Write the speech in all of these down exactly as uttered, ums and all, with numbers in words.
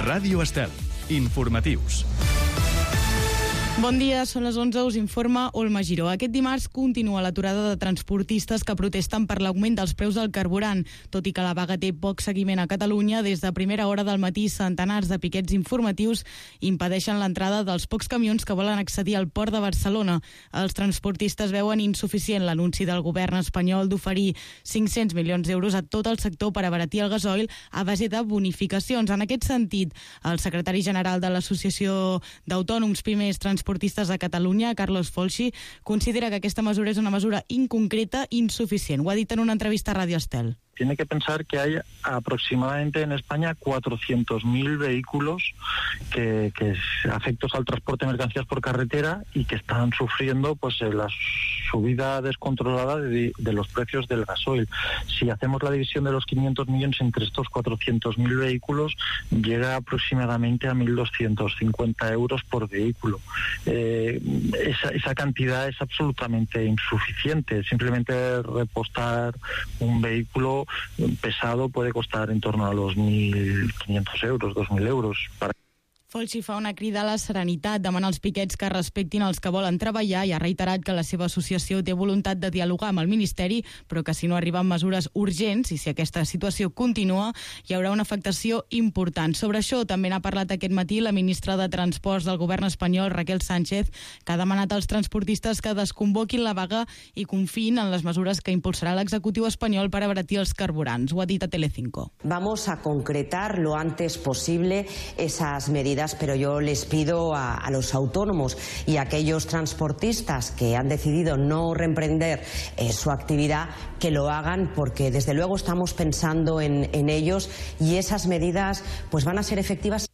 Ràdio Estel. Informatius. Bon dia, són les onze, us informa Olma Giró. Aquest dimarts continua l'aturada de transportistes que protesten per l'augment dels preus del carburant. Tot i que la vaga té poc seguiment a Catalunya, des de primera hora del matí centenars de piquets informatius impedeixen l'entrada dels pocs camions que volen accedir al port de Barcelona. Els transportistes veuen insuficient l'anunci del govern espanyol d'oferir cinc-cents milions d'euros a tot el sector per abaratir el gasoil a base de bonificacions. En aquest sentit, el secretari general de l'Associació d'Autònoms Pimes Transportistes Transportistas de Catalunya, Carlos Folchi, considera que aquesta mesura és una mesura inconcreta i insuficient. Ho ha dit en una entrevista a Radio Estel. Tiene que pensar que hay aproximadamente en España cuatrocientos mil vehículos que, que afectos al transporte de mercancías por carretera y que están sufriendo pues la subida descontrolada de, de los precios del gasoil. Si hacemos la división de los quinientos millones entre estos cuatrocientos mil vehículos, llega aproximadamente a mil doscientos cincuenta euros por vehículo. Eh, esa, esa cantidad es absolutamente insuficiente. Simplemente repostar un vehículo pesado puede costar en torno a los mil quinientos euros, dos mil euros. Para Folchi fa una crida a la serenitat, demana als piquets que respectin els que volen treballar i ha reiterat que la seva associació té voluntat de dialogar amb el Ministeri, però que si no arriben mesures urgents i si aquesta situació continua, hi haurà una afectació important. Sobre això també n'ha parlat aquest matí la ministra de Transports del govern espanyol, Raquel Sánchez, que ha demanat als transportistes que desconvoquin la vaga i confiïn en les mesures que impulsarà l'executiu espanyol per abaratir els carburants. Ho ha dit a Telecinco. Vamos a concretar lo antes posible esas medidas, pero yo les pido a, a los autónomos y a aquellos transportistas que han decidido no reemprender eh, su actividad que lo hagan, porque desde luego estamos pensando en, en ellos y esas medidas pues van a ser efectivas.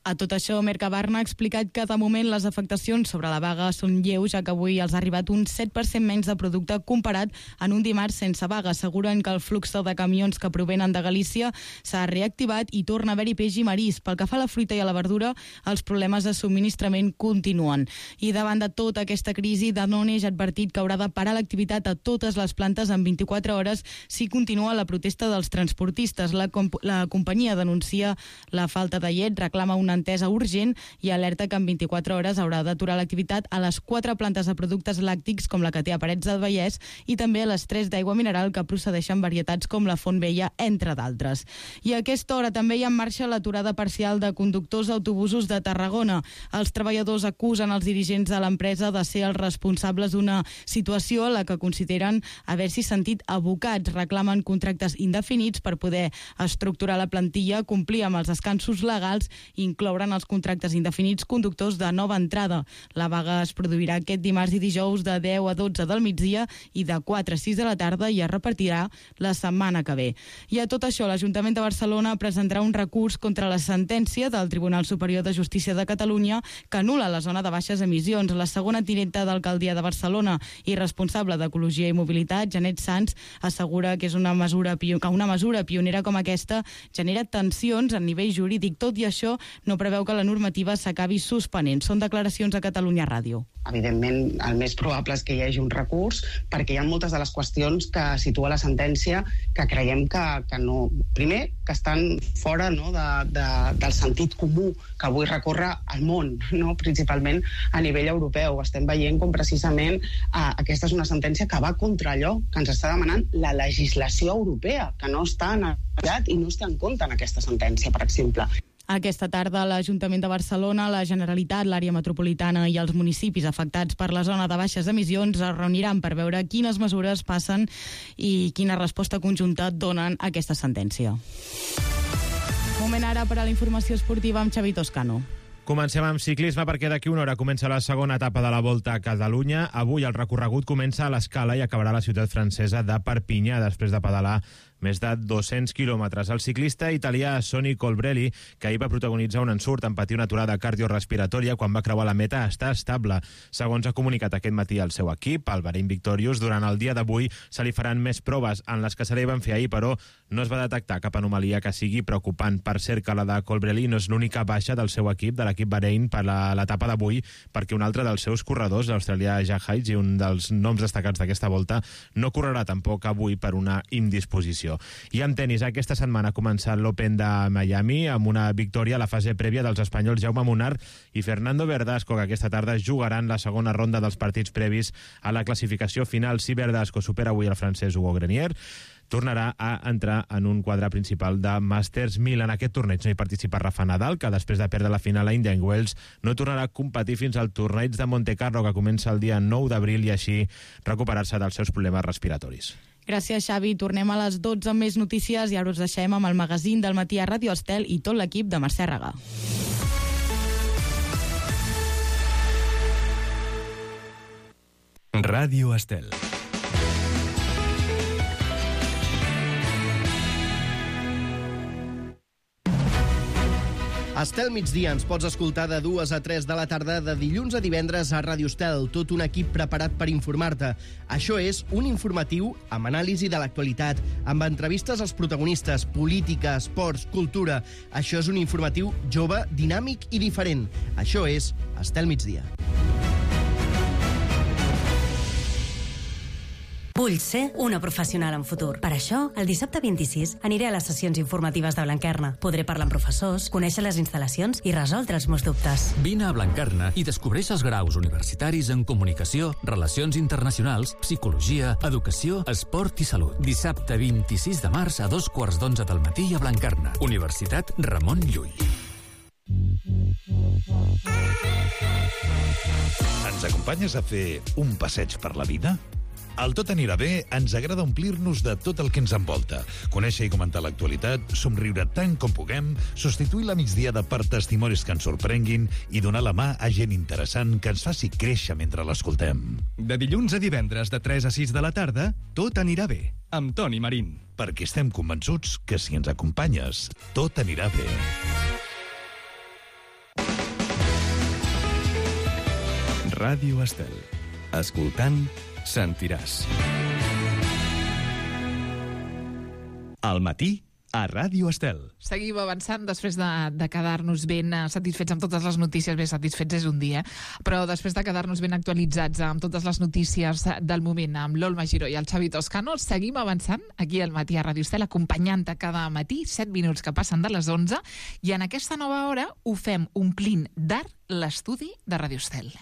A tot això, Mercabarna ha explicat que de moment les afectacions sobre la vaga són lleus, ja que avui els ha arribat un set per cent menys de producte comparat en un dimarts sense vaga. Asseguren que el flux de camions que provenen de Galícia s'ha reactivat i torna a haver-hi peix i marís. Pel que fa a la fruita i a la verdura, els problemes de subministrament continuen. I davant de tota aquesta crisi, Danone ja ha advertit que haurà de parar l'activitat a totes les plantes en vint-i-quatre hores si continua la protesta dels transportistes. La, comp la companyia denuncia la falta de llet, reclama una entesa urgent i alerta que en vint-i-quatre hores haurà d'aturar l'activitat a les quatre plantes de productes làctics com la que té a Parets del Vallès i també a les tres d'aigua mineral que procedeixen varietats com la Font Vella, entre d'altres. I a aquesta hora també hi ha en marxa l'aturada parcial de conductors d'autobusos de Tarragona. Els treballadors acusen els dirigents de l'empresa de ser els responsables d'una situació a la que consideren haver-s'hi sentit abocats. Reclamen contractes indefinits per poder estructurar la plantilla, complir amb els descansos legals i incloure inclouran els contractes indefinits conductors de nova entrada. La vaga es produirà aquest dimarts i dijous de deu a dotze del migdia i de quatre a sis de la tarda i es repartirà la setmana que ve. I a tot això, l'Ajuntament de Barcelona presentarà un recurs contra la sentència del Tribunal Superior de Justícia de Catalunya que anul·la la zona de baixes emissions. La segona tinenta d'alcaldia de Barcelona i responsable d'Ecologia i Mobilitat, Janet Sans, assegura que és una mesura que una mesura pionera com aquesta genera tensions a nivell jurídic. Tot i això, no preveu que la normativa s'acabi suspenent. Són declaracions a Catalunya Ràdio. Evidentment, el més probable és que hi hagi un recurs perquè hi ha moltes de les qüestions que situa la sentència que creiem que, que no... Primer, que estan fora no, de, de, del sentit comú que avui recorre al món, no? Principalment a nivell europeu. Estem veient com precisament eh, aquesta és una sentència que va contra allò que ens està demanant la legislació europea, que no està en el i no es té en compte en aquesta sentència, per exemple. Aquesta tarda, l'Ajuntament de Barcelona, la Generalitat, l'àrea metropolitana i els municipis afectats per la zona de baixes emissions es reuniran per veure quines mesures passen i quina resposta conjunta donen a aquesta sentència. Moment ara per a la informació esportiva amb Xavi Toscano. Comencem amb ciclisme perquè d'aquí una hora comença la segona etapa de la Volta a Catalunya. Avui el recorregut comença a l'Escala i acabarà a la ciutat francesa de Perpinyà després de pedalar més de dos-cents quilòmetres. El ciclista italià Sonny Colbrelli, que ahir va protagonitzar un ensurt en patir una aturada cardiorrespiratòria quan va creuar la meta, està estable. Segons ha comunicat aquest matí el seu equip, el Bahrain Victorious, durant el dia d'avui se li faran més proves en les que se li van fer ahir, però no es va detectar cap anomalia que sigui preocupant. Per cert, que la de Colbrelli no és l'única baixa del seu equip, de l'equip Bahrain, per l'etapa d'avui, perquè un altre dels seus corredors, l'australià Jack Hayes, i un dels noms destacats d'aquesta volta, no correrà tampoc avui per una indisposició. competició. I amb tenis, aquesta setmana ha començat l'Open de Miami amb una victòria a la fase prèvia dels espanyols Jaume Munar i Fernando Verdasco, que aquesta tarda jugaran la segona ronda dels partits previs a la classificació final. Si Verdasco supera avui el francès Hugo Grenier, tornarà a entrar en un quadre principal de Masters mil. En aquest torneig no hi participa Rafa Nadal, que després de perdre la final a Indian Wells no tornarà a competir fins al torneig de Monte Carlo, que comença el dia nou d'abril, i així recuperar-se dels seus problemes respiratoris. Gràcies, Xavi. Tornem a les dotze amb més notícies i ara us deixem amb el magazín del matí a Ràdio Estel i tot l'equip de Mercè Regà. Ràdio Estel. Estel migdia ens pots escoltar de dues a tres de la tarda de dilluns a divendres a Ràdio Estel, tot un equip preparat per informar-te. Això és un informatiu amb anàlisi de l'actualitat, amb entrevistes als protagonistes, política, esports, cultura. Això és un informatiu jove, dinàmic i diferent. Això és Estel migdia. Vull ser una professional en futur. Per això, el dissabte vint-i-sis aniré a les sessions informatives de Blanquerna. Podré parlar amb professors, conèixer les instal·lacions i resoldre els meus dubtes. Vine a Blanquerna i descobreix els graus universitaris en comunicació, relacions internacionals, psicologia, educació, esport i salut. Dissabte vint-i-sis de març a dos quarts d'onze del matí a Blanquerna. Universitat Ramon Llull. Ens acompanyes a fer un passeig per la vida? Al Tot anirà bé ens agrada omplir-nos de tot el que ens envolta, conèixer i comentar l'actualitat, somriure tant com puguem, substituir la migdiada per testimonis que ens sorprenguin i donar la mà a gent interessant que ens faci créixer mentre l'escoltem. De dilluns a divendres de tres a sis de la tarda, Tot anirà bé, amb Toni Marín. Perquè estem convençuts que si ens acompanyes, tot anirà bé. Ràdio Estel. Escoltant, sentiràs. Al matí, a Ràdio Estel. Seguim avançant després de, de quedar-nos ben satisfets amb totes les notícies. Bé, satisfets és un dia, però després de quedar-nos ben actualitzats amb totes les notícies del moment amb l'Olma Giró i el Xavi Toscano, seguim avançant aquí al matí a Ràdio Estel, acompanyant-te cada matí, set minuts que passen de les onze, i en aquesta nova hora ho fem omplint d'art l'estudi de Ràdio Estel.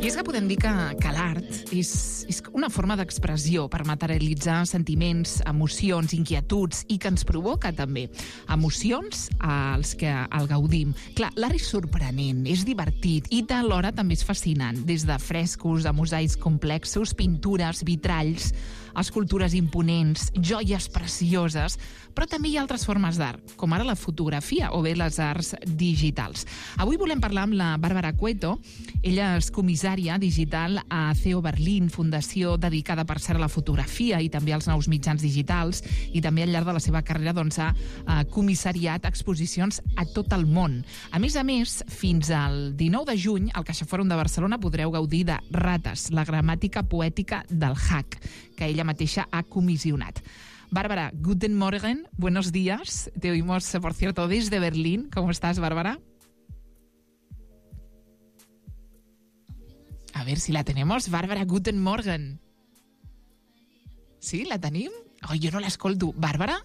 I és que podem dir que, que l'art és, és una forma d'expressió per materialitzar sentiments, emocions, inquietuds i que ens provoca també emocions als que el gaudim. Clar, l'art és sorprenent, és divertit i alhora també és fascinant, des de frescos, a mosaics complexos, pintures, vitralls, escultures imponents, joies precioses, però també hi ha altres formes d'art, com ara la fotografia o bé les arts digitals. Avui volem parlar amb la Bàrbara Cueto. Ella és comissària digital a C E O Berlín, fundació dedicada per cert a la fotografia i també als nous mitjans digitals, i també al llarg de la seva carrera doncs, ha eh, comissariat exposicions a tot el món. A més a més, fins al dinou de juny, al CaixaFòrum de Barcelona podreu gaudir de Rates, la gramàtica poètica del hack, que ella mateixa ha comissionat. Bárbara, guten Morgen, buenos días. Te oímos, por cierto, desde Berlín. ¿Cómo estás, Bárbara? A ver si la tenemos. Bárbara, guten Morgen. ¿Sí, la tenim? Oh, yo no la escolto. ¿Bárbara?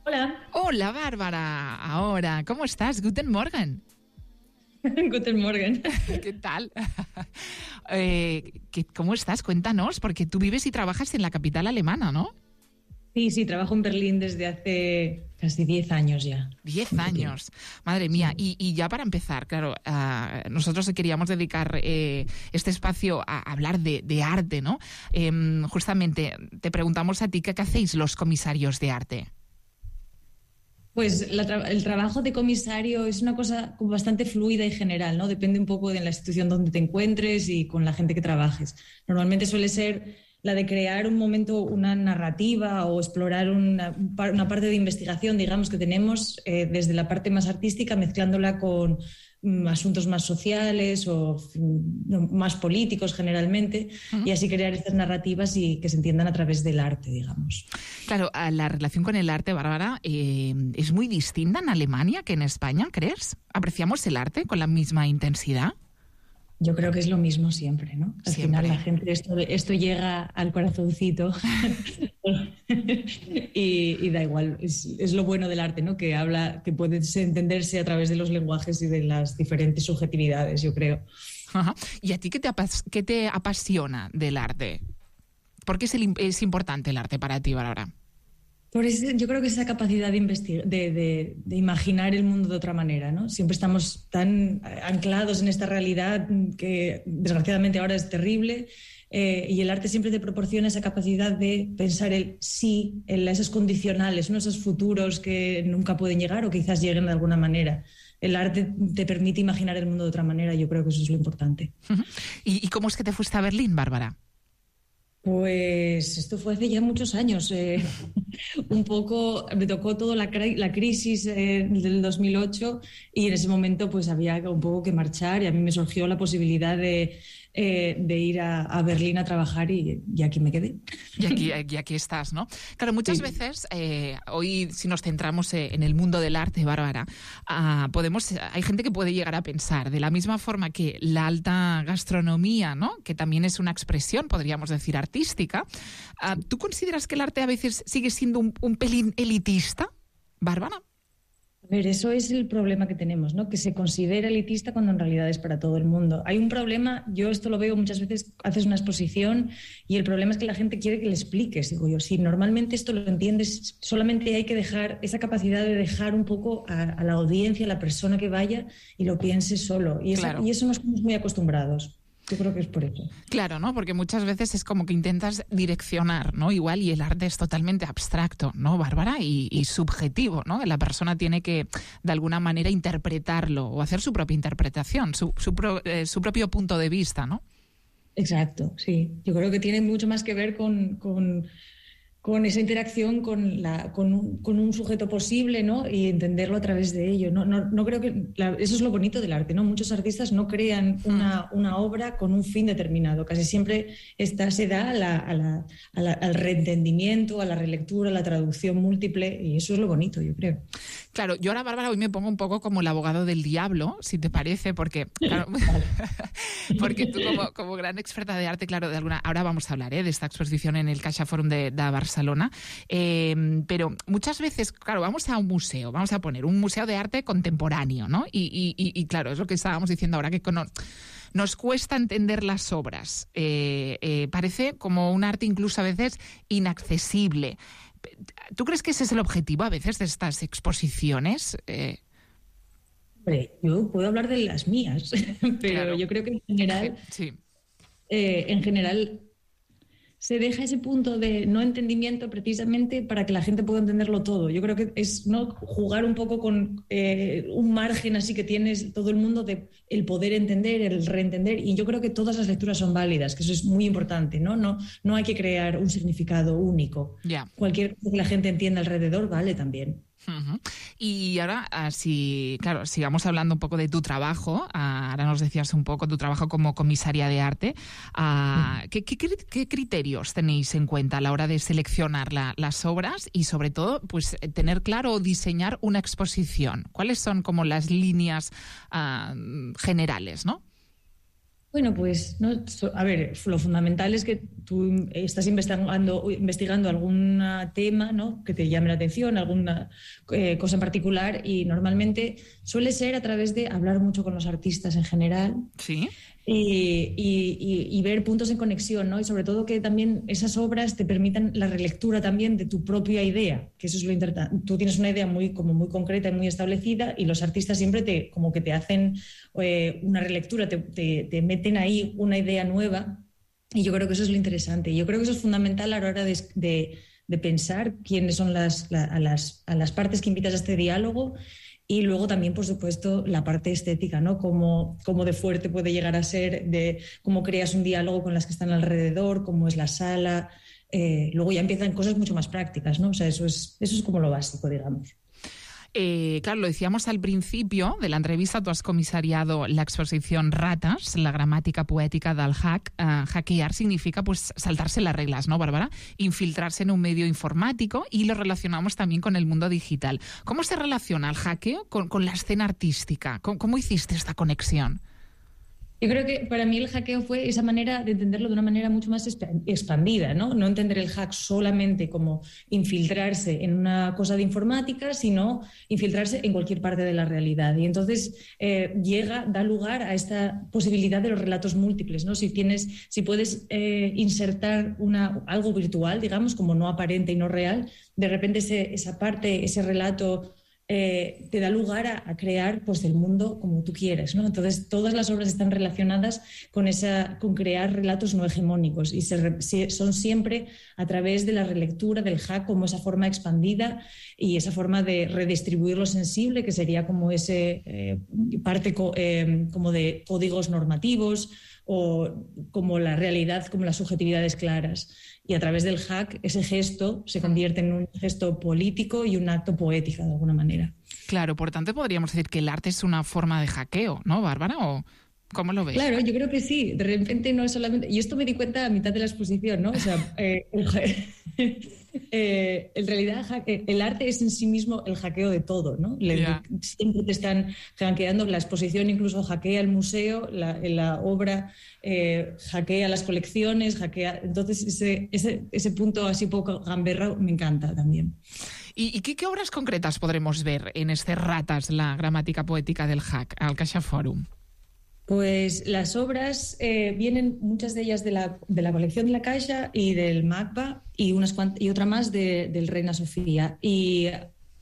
Hola. Hola, Bárbara. Ahora, ¿cómo estás? Guten Morgen. Guten Morgen. ¿Qué tal? eh, ¿qué, ¿Cómo estás? Cuéntanos, porque tú vives y trabajas en la capital alemana, ¿no? Sí, sí, trabajo en Berlín desde hace casi diez años ya. Diez años, madre mía. Y, y ya para empezar, claro, uh, nosotros queríamos dedicar eh, este espacio a hablar de, de arte, ¿no? Eh, justamente, te preguntamos a ti, ¿qué, qué hacéis los comisarios de arte? Pues la tra- el trabajo de comisario es una cosa bastante fluida y general, ¿no? Depende un poco de la institución donde te encuentres y con la gente que trabajes. Normalmente suele ser la de crear un momento, una narrativa o explorar una, una parte de investigación, digamos, que tenemos eh, desde la parte más artística, mezclándola con mm, asuntos más sociales o mm, más políticos generalmente, uh-huh. y así crear estas narrativas y que se entiendan a través del arte, digamos. Claro, la relación con el arte, Bárbara, eh, es muy distinta en Alemania que en España, ¿crees? ¿Apreciamos el arte con la misma intensidad? Yo creo que es lo mismo siempre, ¿no? Al siempre. final la gente, esto, esto llega al corazoncito y, y da igual, es, es lo bueno del arte, ¿no? Que habla, que puede entenderse a través de los lenguajes y de las diferentes subjetividades, yo creo. Ajá. ¿Y a ti qué te, apas- qué te apasiona del arte? ¿Por qué es, el, es importante el arte para ti, Bárbara? Por eso, yo creo que esa capacidad de, investigar, de, de, de imaginar el mundo de otra manera, ¿no? Siempre estamos tan anclados en esta realidad que desgraciadamente ahora es terrible, eh, y el arte siempre te proporciona esa capacidad de pensar el sí, en esas condicionales, ¿no? Esos futuros que nunca pueden llegar o quizás lleguen de alguna manera. El arte te permite imaginar el mundo de otra manera, yo creo que eso es lo importante. Uh-huh. ¿Y, ¿Y cómo es que te fuiste a Berlín, Bárbara? Pues esto fue hace ya muchos años. Eh, un poco, me tocó toda la, la crisis eh, del dos mil ocho y en ese momento pues había un poco que marchar y a mí me surgió la posibilidad de, eh, de ir a, a Berlín a trabajar y, y aquí me quedé. Y aquí, y aquí estás, ¿no? Claro, muchas sí. veces, eh, hoy si nos centramos en el mundo del arte, Bárbara, uh, podemos, hay gente que puede llegar a pensar, de la misma forma que la alta gastronomía, ¿no? Que también es una expresión, podríamos decir, artística, artística. Uh, ¿Tú consideras que el arte a veces sigue siendo un, un pelín elitista, Bárbara? A ver, eso es el problema que tenemos, ¿no? Que se considera elitista cuando en realidad es para todo el mundo. Hay un problema, yo esto lo veo muchas veces, haces una exposición y el problema es que la gente quiere que le expliques. Digo yo, si normalmente esto lo entiendes, solamente hay que dejar esa capacidad de dejar un poco a, a la audiencia, a la persona que vaya y lo piense solo. Y, esa, claro. y eso no estamos muy acostumbrados. Yo creo que es por eso. Claro, ¿no? Porque muchas veces es como que intentas direccionar, ¿no? Igual, y el arte es totalmente abstracto, ¿no, Bárbara? Y, y subjetivo, ¿no? La persona tiene que, de alguna manera, interpretarlo o hacer su propia interpretación, su, su, pro, eh, su propio punto de vista, ¿no? Exacto, sí. Yo creo que tiene mucho más que ver con... con... con esa interacción con, la, con, un, con un sujeto posible, ¿no? Y entenderlo a través de ello. No, no, no creo que la, eso es lo bonito del arte, ¿no? Muchos artistas no crean una, una obra con un fin determinado. Casi siempre esta se da a la, a la, a la, al reentendimiento, a la relectura, a la traducción múltiple, y eso es lo bonito, yo creo. Claro, yo ahora, Bárbara, hoy me pongo un poco como el abogado del diablo, si te parece, porque claro, porque tú como, como gran experta de arte, claro, de alguna ahora vamos a hablar ¿eh? de esta exposición en el Caixa Forum de, de Barcelona, eh, pero muchas veces, claro, vamos a un museo, vamos a poner un museo de arte contemporáneo, ¿no? Y, y, y, y claro, es lo que estábamos diciendo ahora, que con, nos cuesta entender las obras. Eh, eh, parece como un arte incluso a veces inaccesible. ¿Tú crees que ese es el objetivo a veces de estas exposiciones? Eh... Hombre, yo puedo hablar de las mías, pero claro. Yo creo que en general, sí. eh, en general se deja ese punto de no entendimiento precisamente para que la gente pueda entenderlo todo. Yo creo que es no jugar un poco con eh, un margen así que tienes todo el mundo de el poder entender, el reentender, y yo creo que todas las lecturas son válidas, que eso es muy importante, ¿no? No, no hay que crear un significado único. Yeah. Cualquier cosa que la gente entienda alrededor vale también. Uh-huh. Y ahora, si, claro, sigamos hablando un poco de tu trabajo. Ahora nos decías un poco tu trabajo como comisaria de arte. Uh, ¿qué, qué, ¿Qué criterios tenéis en cuenta a la hora de seleccionar la, las obras y, sobre todo, pues tener claro o diseñar una exposición? ¿Cuáles son como las líneas uh, generales, no? Bueno, pues, no, a ver, lo fundamental es que tú estás investigando, investigando algún tema, ¿no? Que te llame la atención, alguna eh, cosa en particular, y normalmente suele ser a través de hablar mucho con los artistas en general. Sí. Y, y, y, y ver puntos en conexión, ¿no? Y sobre todo que también esas obras te permitan la relectura también de tu propia idea, que eso es lo interesante. Tú tienes una idea muy, como muy concreta y muy establecida, y los artistas siempre te, como que te hacen eh, una relectura, te, te, te meten ahí una idea nueva, y yo creo que eso es lo interesante. Yo creo que eso es fundamental a la hora de, de, de pensar quiénes son las, la, a, las, a las partes que invitas a este diálogo. Y luego también, por supuesto, la parte estética, ¿no? Cómo, cómo de fuerte puede llegar a ser, de cómo creas un diálogo con las que están alrededor, cómo es la sala. Eh, luego ya empiezan cosas mucho más prácticas, ¿no? O sea, eso es, eso es como lo básico, digamos. Eh, claro, lo decíamos al principio de la entrevista, tú has comisariado la exposición Ratas, la gramática poética del hack. Uh, hackear significa pues saltarse las reglas, ¿no, Bárbara? Infiltrarse en un medio informático, y lo relacionamos también con el mundo digital. ¿Cómo se relaciona el hackeo con, con la escena artística? ¿Cómo, cómo hiciste esta conexión? Yo creo que para mí el hackeo fue esa manera de entenderlo de una manera mucho más expandida, ¿no? No entender el hack solamente como infiltrarse en una cosa de informática, sino infiltrarse en cualquier parte de la realidad. Y entonces eh, llega, da lugar a esta posibilidad de los relatos múltiples, ¿no? Si tienes, si puedes eh, insertar una, algo virtual, digamos, como no aparente y no real, de repente ese, esa parte, ese relato Eh, te da lugar a, a crear pues, el mundo como tú quieres, ¿no? Entonces todas las obras están relacionadas con, esa, con crear relatos no hegemónicos, y se, se, son siempre a través de la relectura del hack como esa forma expandida y esa forma de redistribuir lo sensible, que sería como ese eh, parte co, eh, como de códigos normativos, o como la realidad, como las subjetividades claras. Y a través del hack, ese gesto se convierte en un gesto político y un acto poético, de alguna manera. Claro, por tanto podríamos decir que el arte es una forma de hackeo, ¿no, Bárbara? ¿O cómo lo ves? Claro, yo creo que sí. De repente no es solamente... Y esto me di cuenta a mitad de la exposición, ¿no? O sea, eh, el, eh, en realidad el arte es en sí mismo el hackeo de todo, ¿no? Le, yeah. Siempre te están hackeando. La exposición incluso hackea el museo, la, la obra eh, hackea las colecciones, hackea... Entonces ese, ese, ese punto así poco gamberra me encanta también. ¿Y, y qué, qué obras concretas podremos ver en este Ratas, la gramática poética del hack, al CaixaForum? Pues las obras eh, vienen, muchas de ellas de la, de la colección de la Caixa y del MACBA, y, unas cuant- y otra más de, del Reina Sofía. Y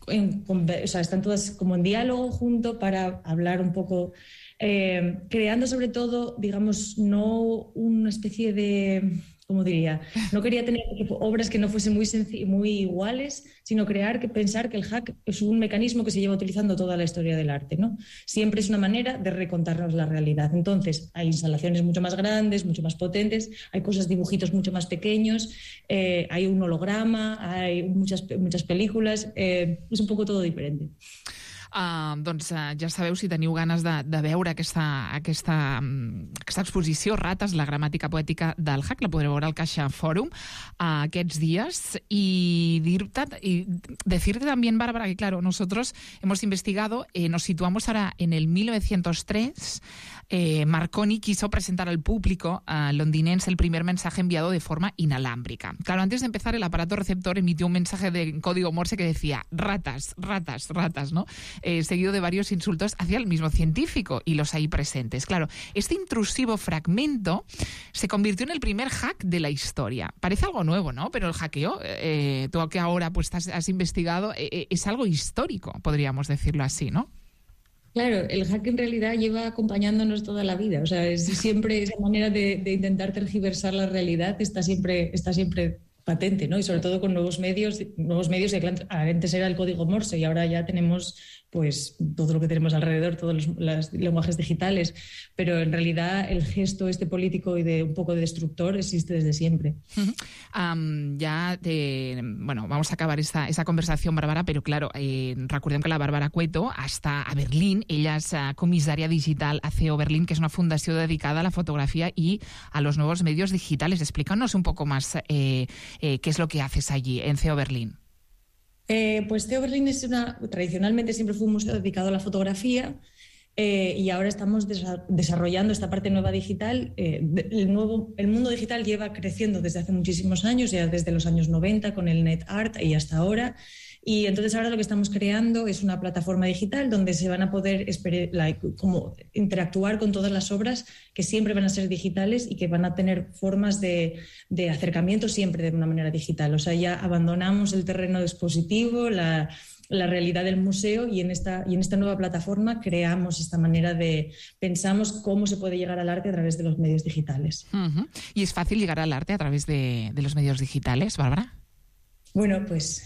en, o sea, están todas como en diálogo junto para hablar un poco, eh, creando sobre todo, digamos, no una especie de... ¿Cómo diría? No quería tener obras que no fuesen muy, senc- muy iguales, sino crear, que pensar que el hack es un mecanismo que se lleva utilizando toda la historia del arte, ¿no? Siempre es una manera de recontarnos la realidad. Entonces, hay instalaciones mucho más grandes, mucho más potentes, hay cosas, dibujitos mucho más pequeños, eh, hay un holograma, hay muchas, muchas películas, eh, es un poco todo diferente. Uh, doncs uh, ja sabeu, si teniu ganes de, de veure aquesta, aquesta, um, aquesta exposició Ratas, la gramàtica poètica del hack, la podreu veure al CaixaForum uh, aquests dies. Y, dir-te, y decirte también, Bárbara, que claro, nosotros hemos investigado, eh, nos situamos ahora en el mil novecientos tres. Eh, Marconi quiso presentar al público uh, londinense el primer mensaje enviado de forma inalámbrica. Claro, antes de empezar, el aparato receptor emitió un mensaje de código Morse que decía ratas, ratas, ratas, ¿no? Eh, seguido de varios insultos hacia el mismo científico y los ahí presentes. Claro, este intrusivo fragmento se convirtió en el primer hack de la historia. Parece algo nuevo, ¿no? Pero el hackeo, eh, tú que ahora pues has, has investigado, eh, es algo histórico, podríamos decirlo así, ¿no? Claro, el hack en realidad lleva acompañándonos toda la vida. O sea, es siempre esa manera de, de intentar tergiversar la realidad está siempre, está siempre patente, ¿no? Y sobre todo con nuevos medios, nuevos medios que antes era el código Morse y ahora ya tenemos pues todo lo que tenemos alrededor, todos los, los lenguajes digitales, pero en realidad el gesto este político y de un poco de destructor existe desde siempre. Uh-huh. Um, ya, de, bueno, vamos a acabar esta, esta conversación, Bárbara, pero claro, eh, recordem que la Bárbara Cueto està a Berlín, ella és uh, comissària digital a C E O Berlín, que es una fundació dedicada a la fotografía y a los nuevos medios digitales. Explícanos un poco más eh, eh, qué es lo que haces allí en C E O Berlín. Eh, pues C E O Berlín es una, tradicionalmente siempre fue un museo dedicado a la fotografía eh, y ahora estamos desa- desarrollando esta parte nueva digital. Eh, el, nuevo, el mundo digital lleva creciendo desde hace muchísimos años, ya desde los años noventa con el NetArt y hasta ahora. Y entonces ahora lo que estamos creando es una plataforma digital donde se van a poder esper- like, como interactuar con todas las obras que siempre van a ser digitales y que van a tener formas de, de acercamiento siempre de una manera digital. O sea, ya abandonamos el terreno expositivo, la, la realidad del museo y en, esta, y en esta nueva plataforma creamos esta manera de... Pensamos cómo se puede llegar al arte a través de los medios digitales. Uh-huh. ¿Y es fácil llegar al arte a través de, de los medios digitales, Bárbara? Bueno, pues...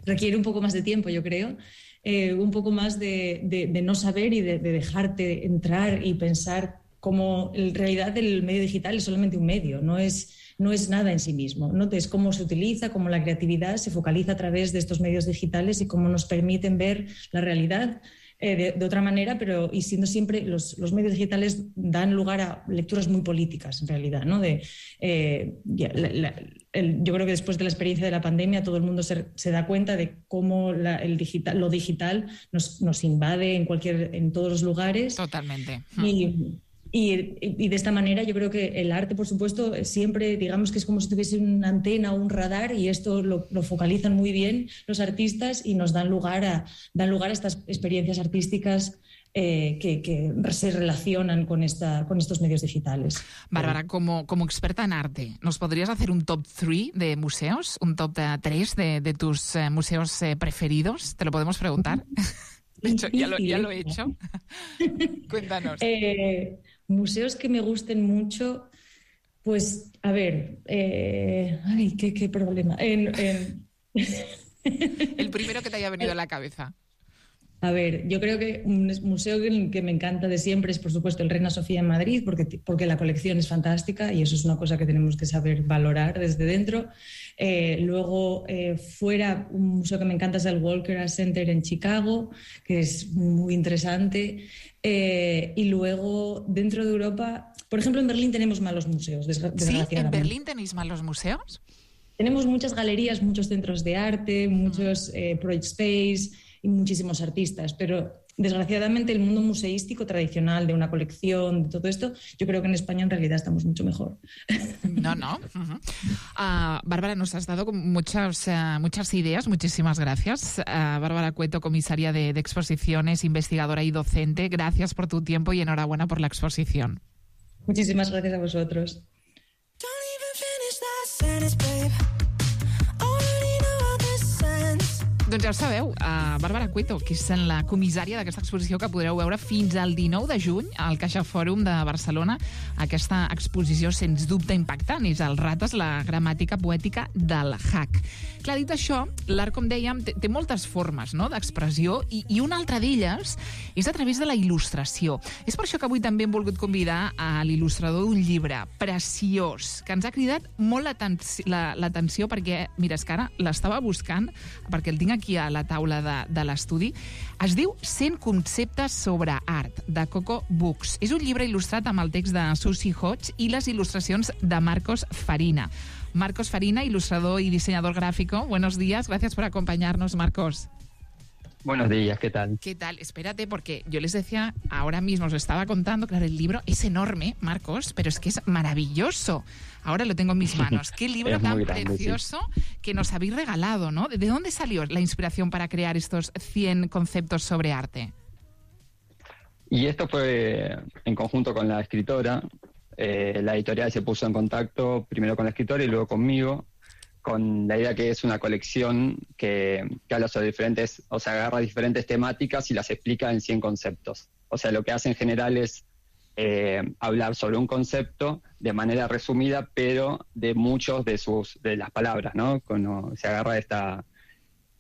requiere un poco más de tiempo, yo creo. eh, un poco más de, de, de no saber y de, de dejarte entrar y pensar como en realidad el medio digital es solamente un medio, no es, no es nada en sí mismo, ¿no? Es cómo se utiliza, cómo la creatividad se focaliza a través de estos medios digitales y cómo nos permiten ver la realidad eh, de, de otra manera, pero y siendo siempre los, los medios digitales dan lugar a lecturas muy políticas en realidad, ¿no? De, eh, ya, la, la, el, yo creo que después de la experiencia de la pandemia todo el mundo se, se da cuenta de cómo la, el digital, lo digital nos, nos invade en, cualquier, en todos los lugares. Totalmente. Y, Y, y de esta manera yo creo que el arte, por supuesto, siempre digamos que es como si tuviese una antena o un radar y esto lo, lo focalizan muy bien los artistas y nos dan lugar a, dan lugar a estas experiencias artísticas eh, que, que se relacionan con, esta, con estos medios digitales. Bárbara, como, como experta en arte, ¿nos podrías hacer un top tres de museos? ¿Un top tres de, de tus eh, museos eh, preferidos? ¿Te lo podemos preguntar? De hecho, ya lo, ya lo he hecho. Cuéntanos. Eh, museos que me gusten mucho, pues, a ver, eh, ay, qué, qué problema. En, en... El primero que te haya venido a la cabeza. A ver, yo creo que un museo que, que me encanta de siempre es, por supuesto, el Reina Sofía en Madrid, porque, porque la colección es fantástica y eso es una cosa que tenemos que saber valorar desde dentro. Eh, luego, eh, fuera, un museo que me encanta es el Walker Art Center en Chicago, que es muy interesante. Eh, y luego, dentro de Europa, por ejemplo, en Berlín tenemos malos museos, desgraciadamente. ¿Sí? ¿En Berlín tenéis malos museos? Tenemos muchas galerías, muchos centros de arte, muchos eh, project space y muchísimos artistas, pero desgraciadamente el mundo museístico tradicional de una colección, de todo esto, yo creo que en España en realidad estamos mucho mejor. No, no. Uh-huh. uh, Bárbara, nos has dado muchas, uh, muchas ideas, muchísimas gracias. Uh, Bárbara Cueto, comisaria de, de exposiciones, investigadora y docente, gracias por tu tiempo y enhorabuena por la exposición. Muchísimas gracias a vosotros. Doncs ja ho sabeu, uh, Bàrbara Cueto, que és la comissària d'aquesta exposició que podreu veure fins al dinou de juny al Caixa Fòrum de Barcelona. Aquesta exposició, sens dubte impactant, és el Rates, la gramàtica poètica del hack. Clar, dit això, l'art, com dèiem, té, té moltes formes, no?, d'expressió i, i una altra d'elles és a través de la il·lustració. És per això que avui també hem volgut convidar a l'il·lustrador d'un llibre preciós, que ens ha cridat molt l'atenció perquè, mira, és que ara l'estava buscant perquè el tinc aquí a la taula de, de l'estudi. Es diu cent conceptes sobre art, de Coco Books. És un llibre il·lustrat amb el text de Susie Hodge i les il·lustracions de Marcos Farina. Marcos Farina, ilustrador y diseñador gráfico. Buenos días, gracias por acompañarnos, Marcos. Buenos días, ¿qué tal? ¿Qué tal? Espérate, porque yo les decía, ahora mismo os lo estaba contando, claro, el libro es enorme, Marcos, pero es que es maravilloso. Ahora lo tengo en mis manos. Qué libro tan grande, precioso, sí, que nos habéis regalado, ¿no? ¿De dónde salió la inspiración para crear estos cien conceptos sobre arte? Y esto fue en conjunto con la escritora. Eh, la editorial se puso en contacto primero con la escritora y luego conmigo, con la idea que es una colección que, que habla sobre diferentes, o sea, agarra diferentes temáticas y las explica en cien conceptos. O sea, lo que hace en general es eh, hablar sobre un concepto de manera resumida, pero de muchos de sus de las palabras, ¿no? Cuando se agarra esta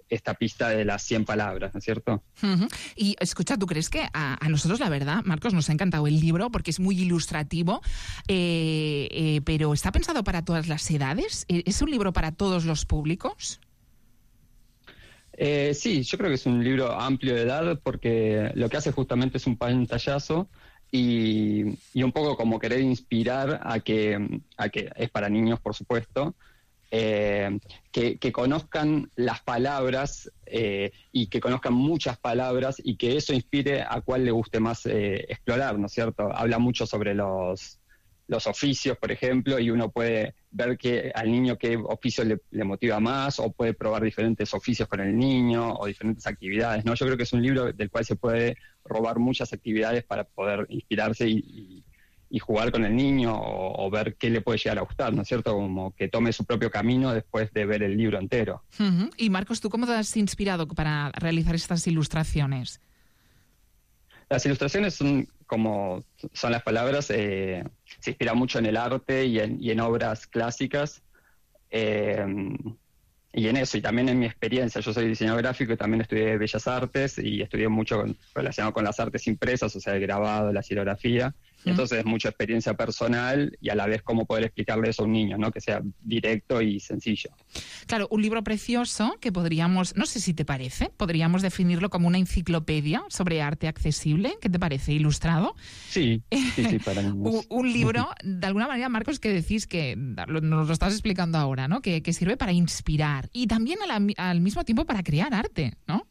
esta pista de las cien palabras, ¿no es cierto? Uh-huh. Y escucha, ¿tú crees que a, a nosotros, la verdad, Marcos, nos ha encantado el libro porque es muy ilustrativo, eh, eh, pero ¿está pensado para todas las edades? ¿Es un libro para todos los públicos? Eh, sí, yo creo que es un libro amplio de edad porque lo que hace justamente es un pantallazo y, y un poco como querer inspirar a que, a que es para niños, por supuesto, Eh, que, que conozcan las palabras eh, y que conozcan muchas palabras y que eso inspire a cuál le guste más eh, explorar, ¿no es cierto? Habla mucho sobre los, los oficios, por ejemplo, y uno puede ver que al niño qué oficio le, le motiva más o puede probar diferentes oficios con el niño o diferentes actividades, ¿no? Yo creo que es un libro del cual se puede robar muchas actividades para poder inspirarse y, y y jugar con el niño o, o ver qué le puede llegar a gustar, ¿no es cierto? Como que tome su propio camino después de ver el libro entero. Uh-huh. Y Marcos, ¿tú cómo te has inspirado para realizar estas ilustraciones? Las ilustraciones son como son las palabras, eh, se inspira mucho en el arte y en, y en obras clásicas. Eh, y en eso, y también en mi experiencia, yo soy diseñador gráfico y también estudié Bellas Artes y estudié mucho con, relacionado con las artes impresas, o sea, el grabado, la xilografía. Entonces es mucha experiencia personal y a la vez cómo poder explicarle eso a un niño, ¿no? Que sea directo y sencillo. Claro, un libro precioso que podríamos, no sé si te parece, podríamos definirlo como una enciclopedia sobre arte accesible. ¿Qué te parece? ¿Ilustrado? Sí, sí, sí, para mí. un, un libro, de alguna manera, Marcos, que decís que, lo, nos lo estás explicando ahora, ¿no? Que, que sirve para inspirar y también a la, al mismo tiempo para crear arte, ¿no?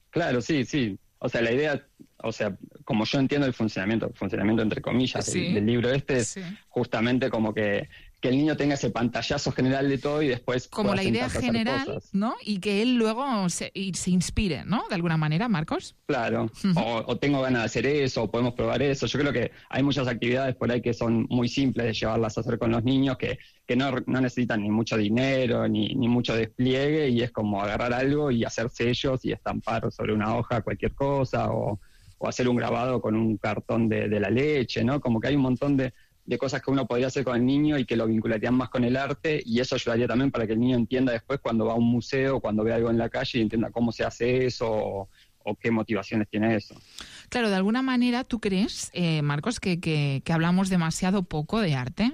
Claro, sí, sí. O sea, la idea, o sea, como yo entiendo el funcionamiento, el funcionamiento entre comillas sí, del, del libro este, es sí. justamente como que, que el niño tenga ese pantallazo general de todo y después como la idea general, ¿no? Y que él luego se, y se inspire, ¿no? De alguna manera, Marcos. Claro, uh-huh. o, o tengo ganas de hacer eso, o podemos probar eso. Yo creo que hay muchas actividades por ahí que son muy simples de llevarlas a hacer con los niños, que, que no, no necesitan ni mucho dinero, ni, ni mucho despliegue, y es como agarrar algo y hacer sellos y estampar sobre una hoja cualquier cosa, o, o hacer un grabado con un cartón de, de la leche, ¿no? Como que hay un montón de, de cosas que uno podría hacer con el niño y que lo vincularían más con el arte, y eso ayudaría también para que el niño entienda después cuando va a un museo, cuando ve algo en la calle, y entienda cómo se hace eso, o, o qué motivaciones tiene eso. Claro, de alguna manera, ¿tú crees, eh, Marcos, que, que, que hablamos demasiado poco de arte?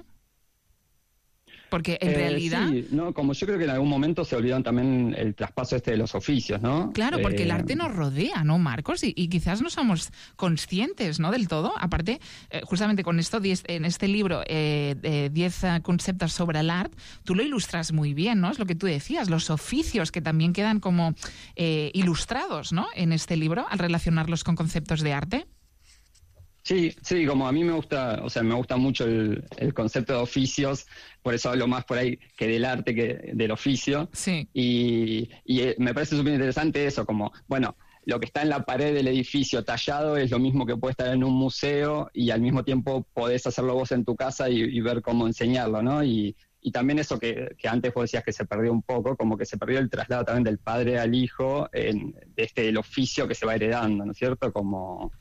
Porque en eh, realidad... Sí, no, como yo creo que en algún momento se olvidaron también el traspaso este de los oficios, ¿no? Claro, porque eh... el arte nos rodea, ¿no, Marcos? Y, y quizás no somos conscientes, ¿no?, del todo. Aparte, eh, justamente con esto, diez, en este libro, eh, de diez uh, conceptos sobre el arte, tú lo ilustras muy bien, ¿no? Es lo que tú decías, los oficios que también quedan como eh, ilustrados, ¿no?, en este libro, al relacionarlos con conceptos de arte. Sí, sí, como a mí me gusta, o sea, me gusta mucho el, el concepto de oficios, por eso hablo más por ahí que del arte que del oficio. Sí. Y, y me parece súper interesante eso, como, bueno, lo que está en la pared del edificio tallado es lo mismo que puede estar en un museo, y al mismo tiempo podés hacerlo vos en tu casa y, y ver cómo enseñarlo, ¿no? Y, y también eso que, que antes vos decías que se perdió un poco, como que se perdió el traslado también del padre al hijo, en, de este, el oficio que se va heredando, ¿no es cierto? Como...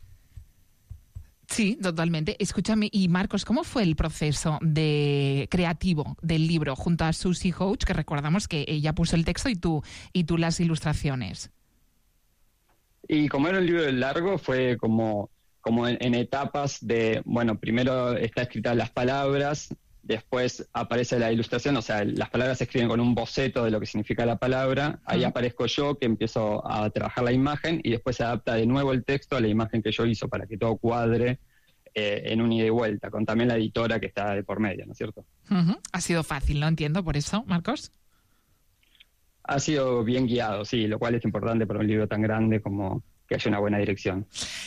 Sí, totalmente. Escúchame, y Marcos, ¿cómo fue el proceso de creativo del libro junto a Susie Hoach, que recordamos que ella puso el texto y tú, y tú las ilustraciones? Y como era un libro largo, fue como, como en, en etapas de, bueno, primero está escrita las palabras, después aparece la ilustración, o sea, las palabras se escriben con un boceto de lo que significa la palabra, ahí uh-huh. aparezco yo, que empiezo a trabajar la imagen, y después se adapta de nuevo el texto a la imagen que yo hizo para que todo cuadre eh, en un ida y vuelta, con también la editora que está de por medio, ¿no es cierto? Uh-huh. Ha sido fácil, ¿no? Entiendo, por eso, Marcos. Ha sido bien guiado, sí, lo cual es importante para un libro tan grande como... que haya una buena dirección.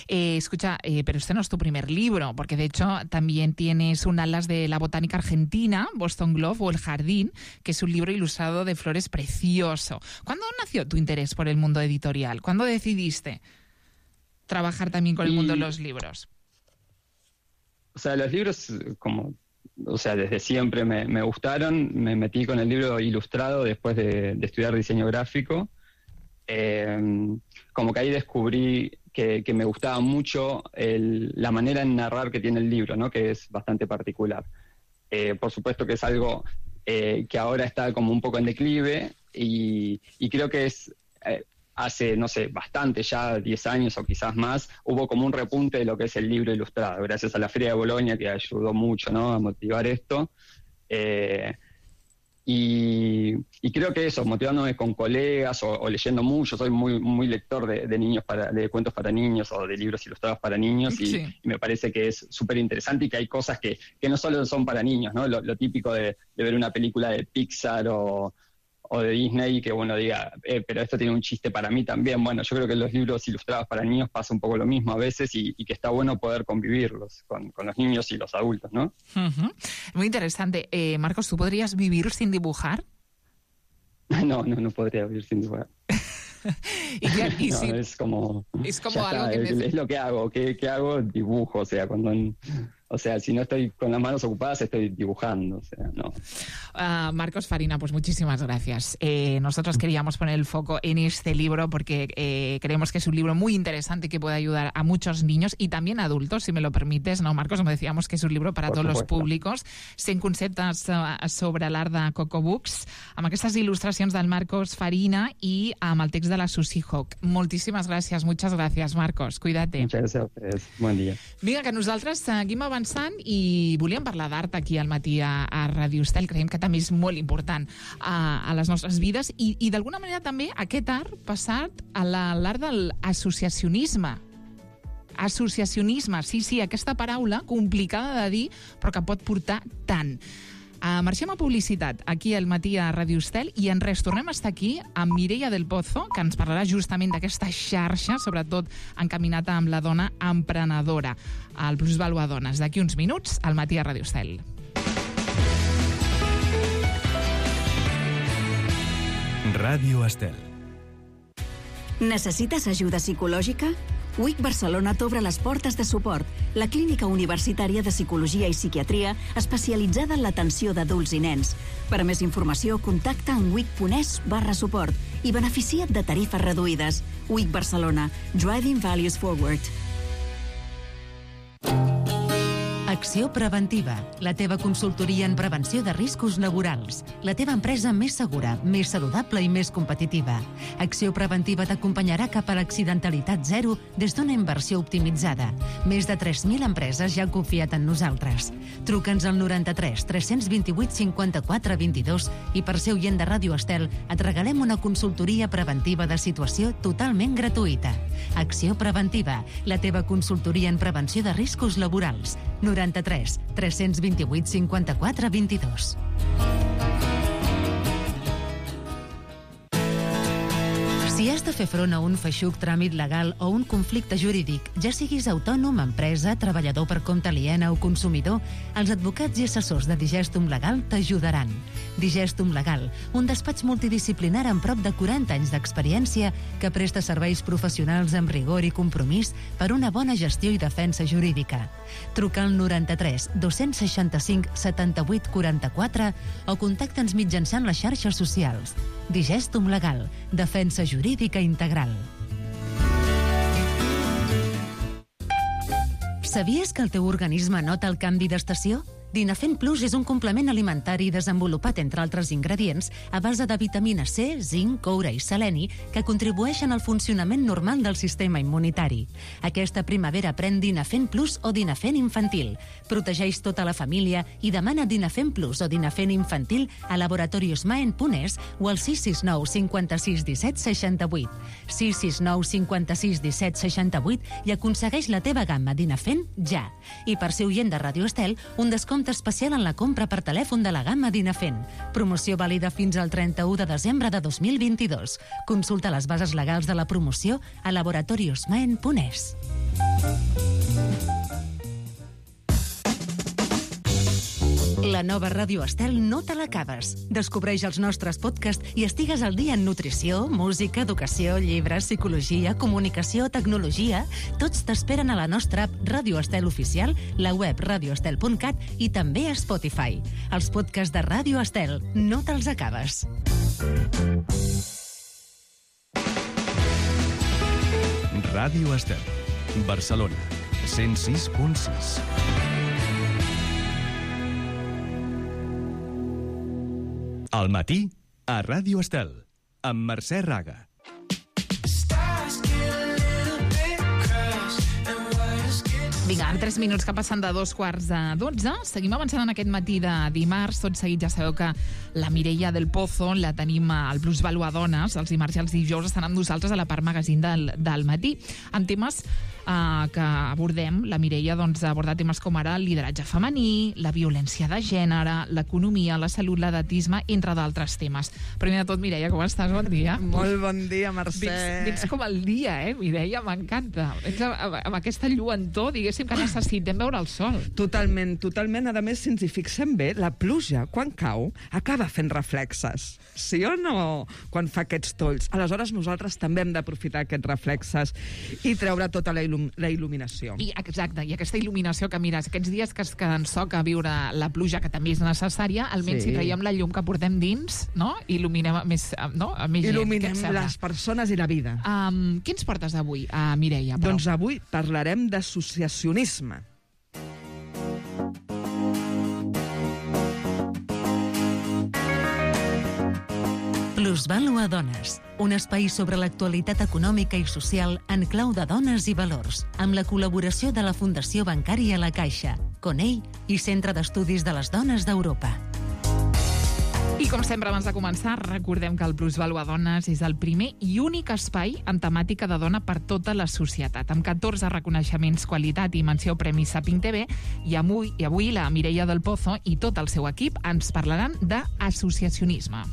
Eh, escucha, eh, pero este no es tu primer libro, porque de hecho también tienes un Alas de la Botánica Argentina, Boston Globe o El Jardín, que es un libro ilustrado de flores precioso. ¿Cuándo nació tu interés por el mundo editorial? ¿Cuándo decidiste trabajar también con el y, mundo de los libros? O sea, los libros, como, o sea, desde siempre me, me gustaron. Me metí con el libro ilustrado después de, de estudiar diseño gráfico. Eh, como que ahí descubrí que, que me gustaba mucho el, la manera en narrar que tiene el libro, ¿no? Que es bastante particular. Eh, por supuesto que es algo eh, que ahora está como un poco en declive, y, y creo que es eh, hace, no sé, bastante, ya diez años o quizás más, hubo como un repunte de lo que es el libro ilustrado, gracias a la Feria de Bolonia, que ayudó mucho, ¿no?, a motivar esto. Eh, Y, y creo que eso, motivándome con colegas o, o leyendo mucho, soy muy muy lector de, de niños para, de cuentos para niños o de libros ilustrados para niños, y, sí. y me parece que es súper interesante y que hay cosas que, que no solo son para niños, ¿no? Lo, lo típico de, de ver una película de Pixar o, o de Disney, que uno diga, eh, pero esto tiene un chiste para mí también. Bueno, yo creo que en los libros ilustrados para niños pasa un poco lo mismo a veces, y, y que está bueno poder convivirlos con, con los niños y los adultos, ¿no? Uh-huh. Muy interesante. Eh, Marcos, ¿tú podrías vivir sin dibujar? No, no, no podría vivir sin dibujar. y ya, y no, si... es como, es como algo está, que es, me... es lo que hago. ¿Qué, qué hago? Dibujo, o sea, cuando... O sea, si no estoy con las manos ocupadas, estoy dibujando. O sea, no. Uh, Marcos Farina, pues muchísimas gracias. Eh, nosotros queríamos poner el foco en este libro porque eh, creemos que es un libro muy interesante que puede ayudar a muchos niños y también adultos, si me lo permites, ¿no, Marcos? Como decíamos, que es un libro para Por todos supuesto. los públics. cent conceptes uh, sobre l'art de Coco Books, amb aquestes il·lustracions del Marcos Farina i amb el text de la Susie Hawk. Moltíssimes gràcies, muchas gracias, Marcos. Cuídate. Muchas gracias a ustedes. Buen día. Vinga, que nosaltres seguim avançant i volíem parlar d'art aquí al matí a, a Ràdio Estel. Creiem que també és molt important a, a les nostres vides i, i d'alguna manera també aquest art passat a l'art de l'associacionisme. Associacionisme, sí, sí, aquesta paraula complicada de dir però que pot portar tant. Uh, marxem a publicitat aquí al matí a Ràdio Estel i en res tornem a estar aquí amb Mireia del Pozo, que ens parlarà justament d'aquesta xarxa, sobretot encaminada amb la dona emprenedora, el Plusvalua Dones, d'aquí uns minuts al matí a Ràdio Estel. Ràdio Estel. Necessites ajuda psicològica? U I C Barcelona t'obre les portes de suport, la clínica universitària de psicologia i psiquiatria especialitzada en l'atenció d'adults i nens. Per a més informació, contacta en wic.es barra suport i beneficia't de tarifes reduïdes. U I C Barcelona. Driving Values Forward. Acció Preventiva, la teva consultoria en prevenció de riscos laborals. La teva empresa més segura, més saludable i més competitiva. Acció Preventiva t'acompanyarà cap a l'accidentalitat zero des d'una inversió optimitzada. Més de tres mil empreses ja han confiat en nosaltres. Truca'ns al noranta-tres tres cents vint-i-vuit cinquanta-quatre vint-i-dos i per ser oient de Ràdio Estel et regalem una consultoria preventiva de situació totalment gratuïta. Acció Preventiva, la teva consultoria en prevenció de riscos laborals. noranta-tres tres cents vint-i-vuit cinquanta-quatre vint-i-dos. Si has de fer front a un feixuc tràmit legal o un conflicte jurídic, ja siguis autònom, empresa, treballador per compte aliena o consumidor, els advocats i assessors de Digestum Legal t'ajudaran. Digestum Legal, un despatx multidisciplinar amb prop de quaranta anys d'experiència que presta serveis professionals amb rigor i compromís per una bona gestió i defensa jurídica. Truca al noranta-tres dos seixanta-cinc setanta-vuit quaranta-quatre o contacta'ns mitjançant les xarxes socials. Digestum Legal, defensa jurídica integral. Sabies que el teu organisme nota el canvi d'estació? Dinafent Plus és un complement alimentari desenvolupat, entre altres ingredients, a base de vitamina C, zinc, coure i seleni, que contribueixen al funcionament normal del sistema immunitari. Aquesta primavera pren Dinafent Plus o Dinafent Infantil. Protegeix tota la família i demana Dinafent Plus o Dinafent Infantil a laboratorios maen punt es o al sis sis nou cinquanta-sis disset seixanta-vuit. sis sis nou cinquanta-sis disset seixanta-vuit i aconsegueix la teva gamma Dinafent ja. I per ser oient de Ràdio Estel, un descompte especial en la compra per telèfon de la gamma Dinafent. Promoció vàlida fins al trenta-u de desembre de dos mil vint-i-dos. Consulta les bases legals de la promoció a laboratorios maen punt es. La nova Ràdio Estel no te l'acabes. Descobreix els nostres podcasts i estigues al dia en nutrició, música, educació, llibres, psicologia, comunicació, tecnologia. Tots t'esperen a la nostra app Ràdio Estel Oficial, la web radioestel punt cat i també a Spotify. Els podcasts de Ràdio Estel no te'ls acabes. Ràdio Estel, Barcelona, cent sis punt sis. Al matí, a Ràdio Estel, amb Mercè Raga. Vinga, en tres minuts que passen de dos quarts de dotze. Seguim avançant en aquest matí de dimarts. Tot seguit ja sabeu que la Mireia del Pozo la tenim al Plusvalua Dones. Els dimarts i els dijous estan amb nosaltres a la part magazín del, del matí, amb temes uh, que abordem. La Mireia doncs, ha abordat temes com ara el lideratge femení, la violència de gènere, l'economia, la salut, l'edatisme, entre d'altres temes. Primer de tot, Mireia, com estàs? Bon dia. Molt bon dia, Mercè. Vens, vens com el dia, eh, Mireia? M'encanta. Vens amb, amb aquesta lluentor, diguéssim, diguéssim que necessitem veure el sol. Totalment, totalment. A més, si ens hi fixem bé, la pluja, quan cau, acaba fent reflexes. Sí o no? Quan fa aquests tolls. Aleshores, nosaltres també hem d'aprofitar aquests reflexes i treure tota la, il·lum la il·luminació. I, exacte, i aquesta il·luminació que, mira, aquests dies que, que ens toca viure la pluja, que també és necessària, almenys sí. si traiem la llum que portem dins, no? Il·luminem més, no? A més Il·luminem gent, les persones i la vida. Um, què ens portes avui, uh, Mireia? Però? Doncs avui parlarem d'associacionisme. Plusvàlua Dones, un espai sobre l'actualitat econòmica i social en clau de dones i valors, amb la col·laboració de la Fundació Bancària La Caixa, Conell i Centre d'Estudis de les Dones d'Europa. I com sempre, abans de començar, recordem que el Plusvàlua Dones és el primer i únic espai en temàtica de dona per tota la societat, amb catorze reconeixements, qualitat i menció Premi Saping T V, i avui, i avui la Mireia del Pozo i tot el seu equip ens parlaran d'associacionisme.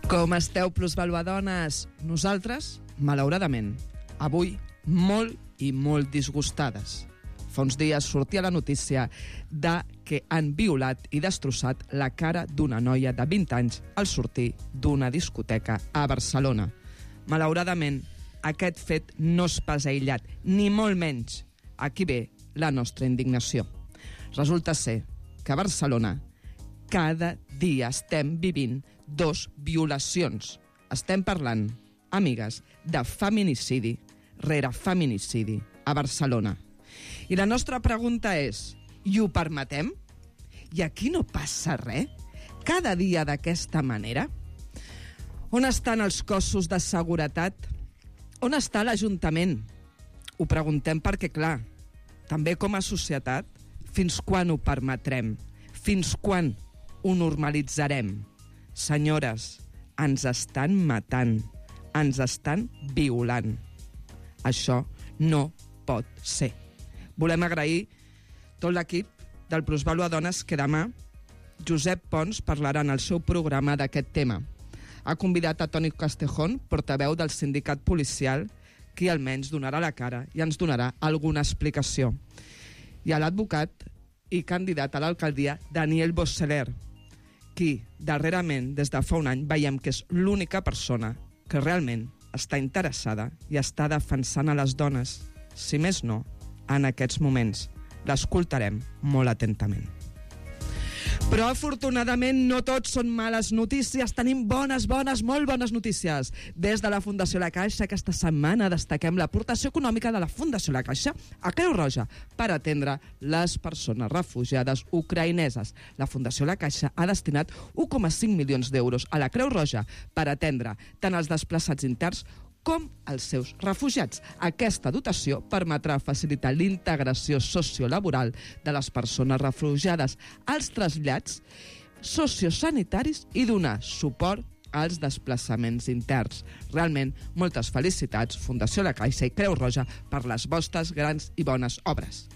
Com esteu, Plusvàlua Dones? Nosaltres, malauradament, avui molt i molt disgustades. Fa uns dies sortia la notícia de que han violat i destrossat la cara d'una noia de vint anys al sortir d'una discoteca a Barcelona. Malauradament, aquest fet no és pas aïllat, ni molt menys. Aquí ve la nostra indignació. Resulta ser que a Barcelona cada dia estem vivint dos violacions. Estem parlant, amigues, de feminicidi rere feminicidi a Barcelona. I la nostra pregunta és, i ho permetem? I aquí no passa res? Cada dia d'aquesta manera? On estan els cossos de seguretat? On està l'Ajuntament? Ho preguntem perquè, clar, també com a societat, fins quan ho permetrem? Fins quan ho normalitzarem? Senyores, ens estan matant, ens estan violant. Això no pot ser. Volem agrair tot l'equip del Plusvàlua Dones que demà Josep Pons parlarà en el seu programa d'aquest tema. Ha convidat a Toni Castejón, portaveu del sindicat policial, qui almenys donarà la cara i ens donarà alguna explicació. I a l'advocat i candidat a l'alcaldia Daniel Bosseler, qui darrerament, des de fa un any, veiem que és l'única persona que realment està interessada i està defensant a les dones. Si més no, en aquests moments l'escoltarem molt atentament. Però afortunadament no tots són males notícies, tenim bones, bones, molt bones notícies. Des de la Fundació La Caixa, aquesta setmana destaquem l'aportació econòmica de la Fundació La Caixa a Creu Roja per atendre les persones refugiades ucraïneses. La Fundació La Caixa ha destinat un coma cinc milions d'euros a la Creu Roja per atendre tant els desplaçats interns com els seus refugiats. Aquesta dotació permetrà facilitar l'integració sociolaboral de les persones refugiades, als trasllats sociosanitaris i donar suport als desplaçaments interns. Realment, moltes felicitats, Fundació La Caixa i Creu Roja, per les vostres grans i bones obres.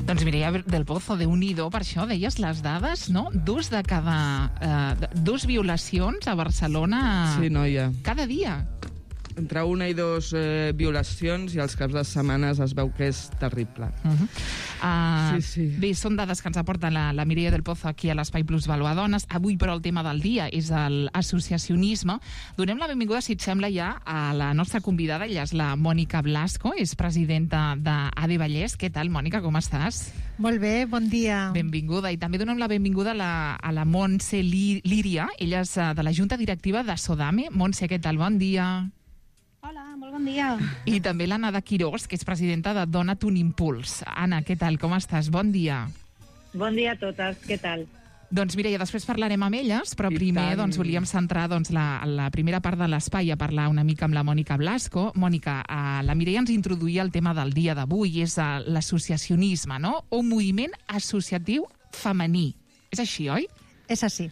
Doncs Mireia del Pozo, Déu-n'hi-do, per això deies les dades, no? Dos de cada... Eh, dos violacions a Barcelona... Sí, noia. Cada dia. Entre una i dos eh, violacions i als caps de setmanes es veu que és terrible. Uh -huh. uh, sí, sí. Bé, són dades que ens aporta la, la Mireia del Pozo aquí a l'Espai Plusvàlua Dones. Avui, però, el tema del dia és l'associacionisme. Donem la benvinguda, si et sembla, ja a la nostra convidada. Ella és la Mònica Blasco, és presidenta d'A D E Vallès. Què tal, Mònica, com estàs? Molt bé, bon dia. Benvinguda. I també donem la benvinguda a la, a la Montse Líria. Ella és de la Junta Directiva de Sodame. Montse, què tal? Bon dia. Hola, molt bon dia. I també l'Anna de Quirós, que és presidenta de Dona't un Impuls. Anna, què tal? Com estàs? Bon dia. Bon dia a totes, què tal? Doncs Mireia, després parlarem amb elles, però I primer tant. doncs, volíem centrar doncs, la, la primera part de l'espai a parlar una mica amb la Mònica Blasco. Mònica, eh, la Mireia ens introduïa el tema del dia d'avui, és eh, l'associacionisme, no? Un moviment associatiu femení. És així, oi? És així.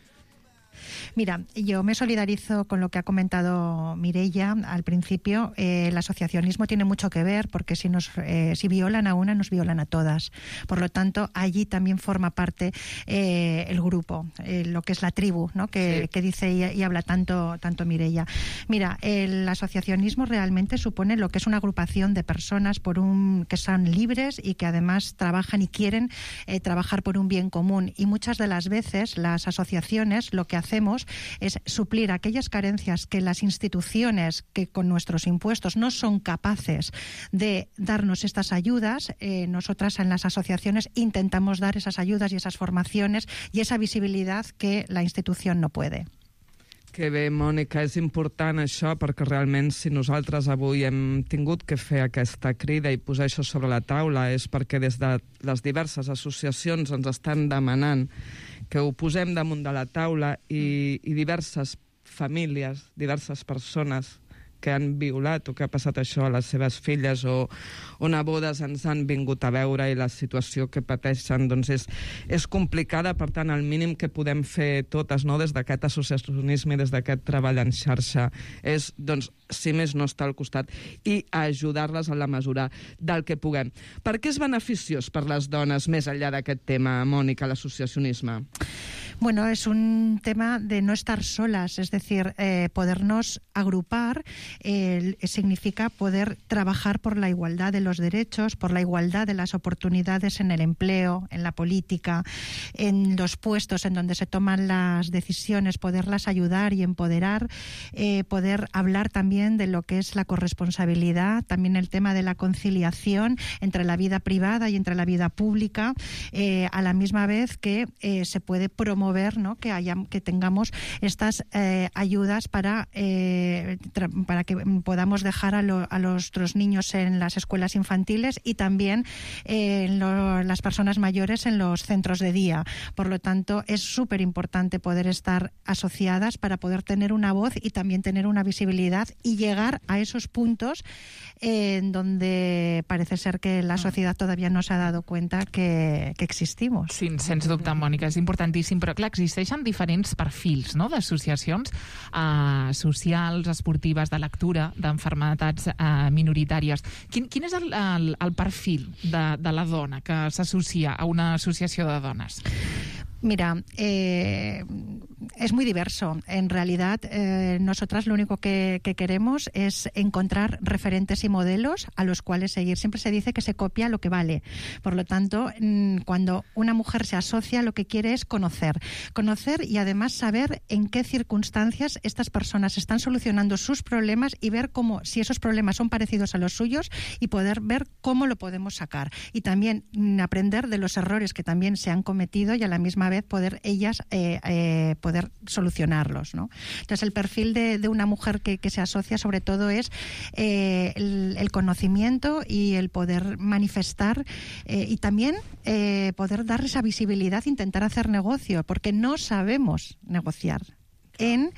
Mira, yo me solidarizo con lo que ha comentado Mireia al principio. Eh, el asociacionismo tiene mucho que ver porque si nos eh, si violan a una, nos violan a todas. Por lo tanto, allí también forma parte eh, el grupo, eh, lo que es la tribu, ¿no? que, sí. que dice y, y habla tanto, tanto Mireia. Mira, el asociacionismo realmente supone lo que es una agrupación de personas por un que son libres y que además trabajan y quieren eh, trabajar por un bien común. Y muchas de las veces las asociaciones lo que hacemos es suplir aquellas carencias que las instituciones que con nuestros impuestos no son capaces de darnos estas ayudas. Eh, nosotras en las asociaciones intentamos dar esas ayudas y esas formaciones y esa visibilidad que la institución no puede. Que bé, Mònica, és important això perquè realment si nosaltres avui hem tingut que fer aquesta crida i posar això sobre la taula és perquè des de les diverses associacions ens estan demanant que ho posem damunt de la taula i, i diverses famílies, diverses persones que han violat o que ha passat això a les seves filles o, o nebodes ens han vingut a veure i la situació que pateixen doncs és, és complicada. Per tant, el mínim que podem fer totes, no, des d'aquest associacionisme i des d'aquest treball en xarxa és, doncs, si més no, estar al costat i ajudar-les en la mesura del que puguem. Per què és beneficiós per les dones, més enllà d'aquest tema, Mònica, l'associacionisme? Bueno, es un tema de no estar solas, es decir, eh, podernos agrupar eh, significa poder trabajar por la igualdad de los derechos, por la igualdad de las oportunidades en el empleo, en la política, en los puestos en donde se toman las decisiones, poderlas ayudar y empoderar, eh, poder hablar también de lo que es la corresponsabilidad, también el tema de la conciliación entre la vida privada y entre la vida pública, eh, a la misma vez que eh, se puede promover Ver, ¿no? que, haya, que tengamos estas eh, ayudas para, eh, para que podamos dejar a, lo, a nuestros niños en las escuelas infantiles y también eh, en lo, las personas mayores en los centros de día. Por lo tanto, es súper importante poder estar asociadas para poder tener una voz y también tener una visibilidad y llegar a esos puntos eh, en donde parece ser que la sociedad todavía no se ha dado cuenta que, que existimos. Sí, sens dubte, Mònica, és importantíssim, però clar, existeixen diferents perfils, no?, d'associacions eh, socials, esportives, de lectura, d'enfermedats eh, minoritàries. Quin, quin és el, el, el perfil de, de la dona que s'associa a una associació de dones? Mira, eh, es muy diverso. En realidad, eh, nosotras lo único que, que queremos es encontrar referentes y modelos a los cuales seguir. Siempre se dice que se copia lo que vale. Por lo tanto, cuando una mujer se asocia, lo que quiere es conocer. Conocer y además saber en qué circunstancias estas personas están solucionando sus problemas y ver cómo, si esos problemas son parecidos a los suyos y poder ver cómo lo podemos sacar. Y también aprender de los errores que también se han cometido y a la misma vez poder ellas eh, eh, poder solucionarlos, ¿no? Entonces el perfil de, de una mujer que, que se asocia sobre todo es eh, el, el conocimiento y el poder manifestar eh, y también eh, poder dar esa visibilidad, intentar hacer negocio, porque no sabemos negociar en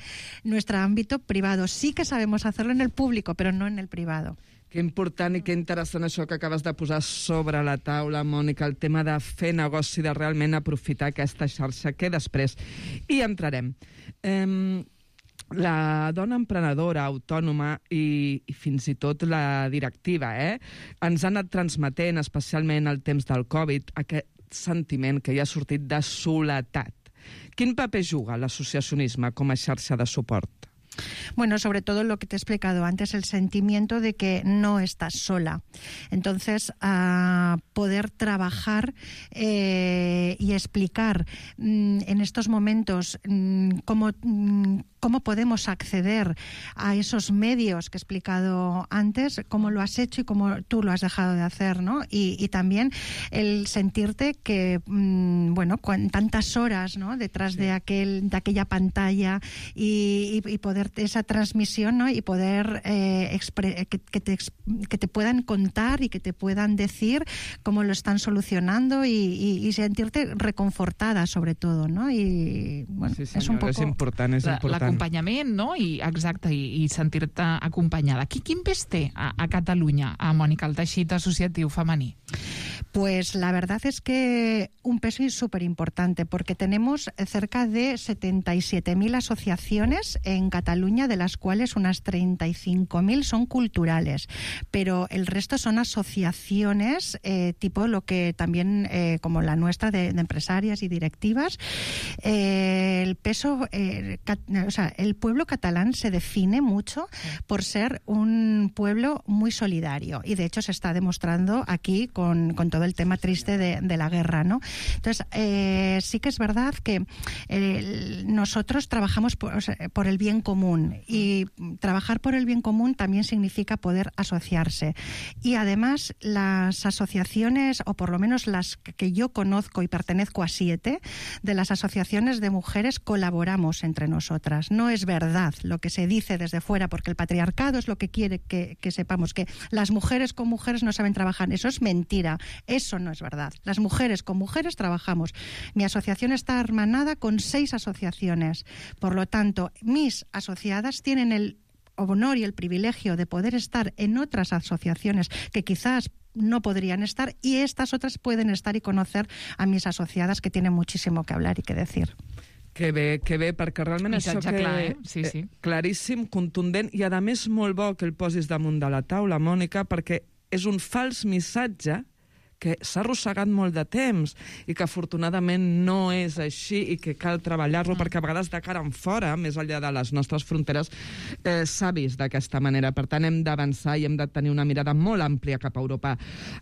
nuestro ámbito privado. Sí que sabemos hacerlo en el público, pero no en el privado. Que important i que interessant això que acabes de posar sobre la taula, Mònica, el tema de fer negoci, de realment aprofitar aquesta xarxa, que després hi entrarem. Eh, la dona emprenedora, autònoma i, i fins i tot la directiva, eh, ens han anat transmetent, especialment al temps del Covid, aquest sentiment que hi ha sortit de soledat. Quin paper juga l'associacionisme com a xarxa de suport? Bueno, sobre todo lo que te he explicado antes, el sentimiento de que no estás sola. Entonces, uh, poder trabajar eh, y explicar mm, en estos momentos mm, cómo... Mm, cómo podemos acceder a esos medios que he explicado antes, cómo lo has hecho y cómo tú lo has dejado de hacer, ¿no? Y, y también el sentirte que, mmm, bueno, con tantas horas, ¿no?, detrás sí. de aquel, de aquella pantalla y, y, y poder esa transmisión, ¿no?, y poder eh, expre- que, que, te, que te puedan contar y que te puedan decir cómo lo están solucionando y, y, y sentirte reconfortada, sobre todo, ¿no? Y bueno, sí, senyor, és un poco... és important, és la, important. L'acompanyament, no? I, exacte, i, i sentir-te acompanyada. Qui, quin pes té a, a Catalunya, a Mònica, el teixit associatiu femení? Pues la verdad es que un peso súper importante, porque tenemos cerca de setenta y siete mil asociaciones en Cataluña, de las cuales unas treinta y cinco mil son culturales, pero el resto son asociaciones eh, tipo lo que también, eh, como la nuestra, de, de empresarias y directivas. Eh, el peso, eh, cat, o sea, el pueblo catalán se define mucho por ser un pueblo muy solidario, y de hecho se está demostrando aquí con, con todo el tema triste de, de la guerra, ¿no? Entonces, eh, sí que es verdad que eh, nosotros trabajamos por, o sea, por el bien común, y trabajar por el bien común también significa poder asociarse. Y además, las asociaciones, o por lo menos las que yo conozco, y pertenezco a siete, de las asociaciones de mujeres, colaboramos entre nosotras. No es verdad lo que se dice desde fuera, porque el patriarcado es lo que quiere que, que sepamos, que las mujeres con mujeres no saben trabajar. Eso es mentira. Eso no es verdad. Las mujeres con mujeres trabajamos. Mi asociación está hermanada con seis asociaciones. Por lo tanto, mis asociadas tienen el honor y el privilegio de poder estar en otras asociaciones que quizás no podrían estar, y estas otras pueden estar y conocer a mis asociadas, que tienen muchísimo que hablar y que decir. Que bé, que bé, perquè realment Missatge això que... clar, eh? Sí, sí. Eh, claríssim, contundent, i a més molt bo que el posis damunt de la taula, Mònica, perquè és un fals missatge que s'ha arrossegat molt de temps i que afortunadament no és així i que cal treballar-lo, mm. perquè a vegades de cara en fora, més enllà de les nostres fronteres, eh, s'ha vist d'aquesta manera. Per tant, hem d'avançar i hem de tenir una mirada molt àmplia cap a Europa.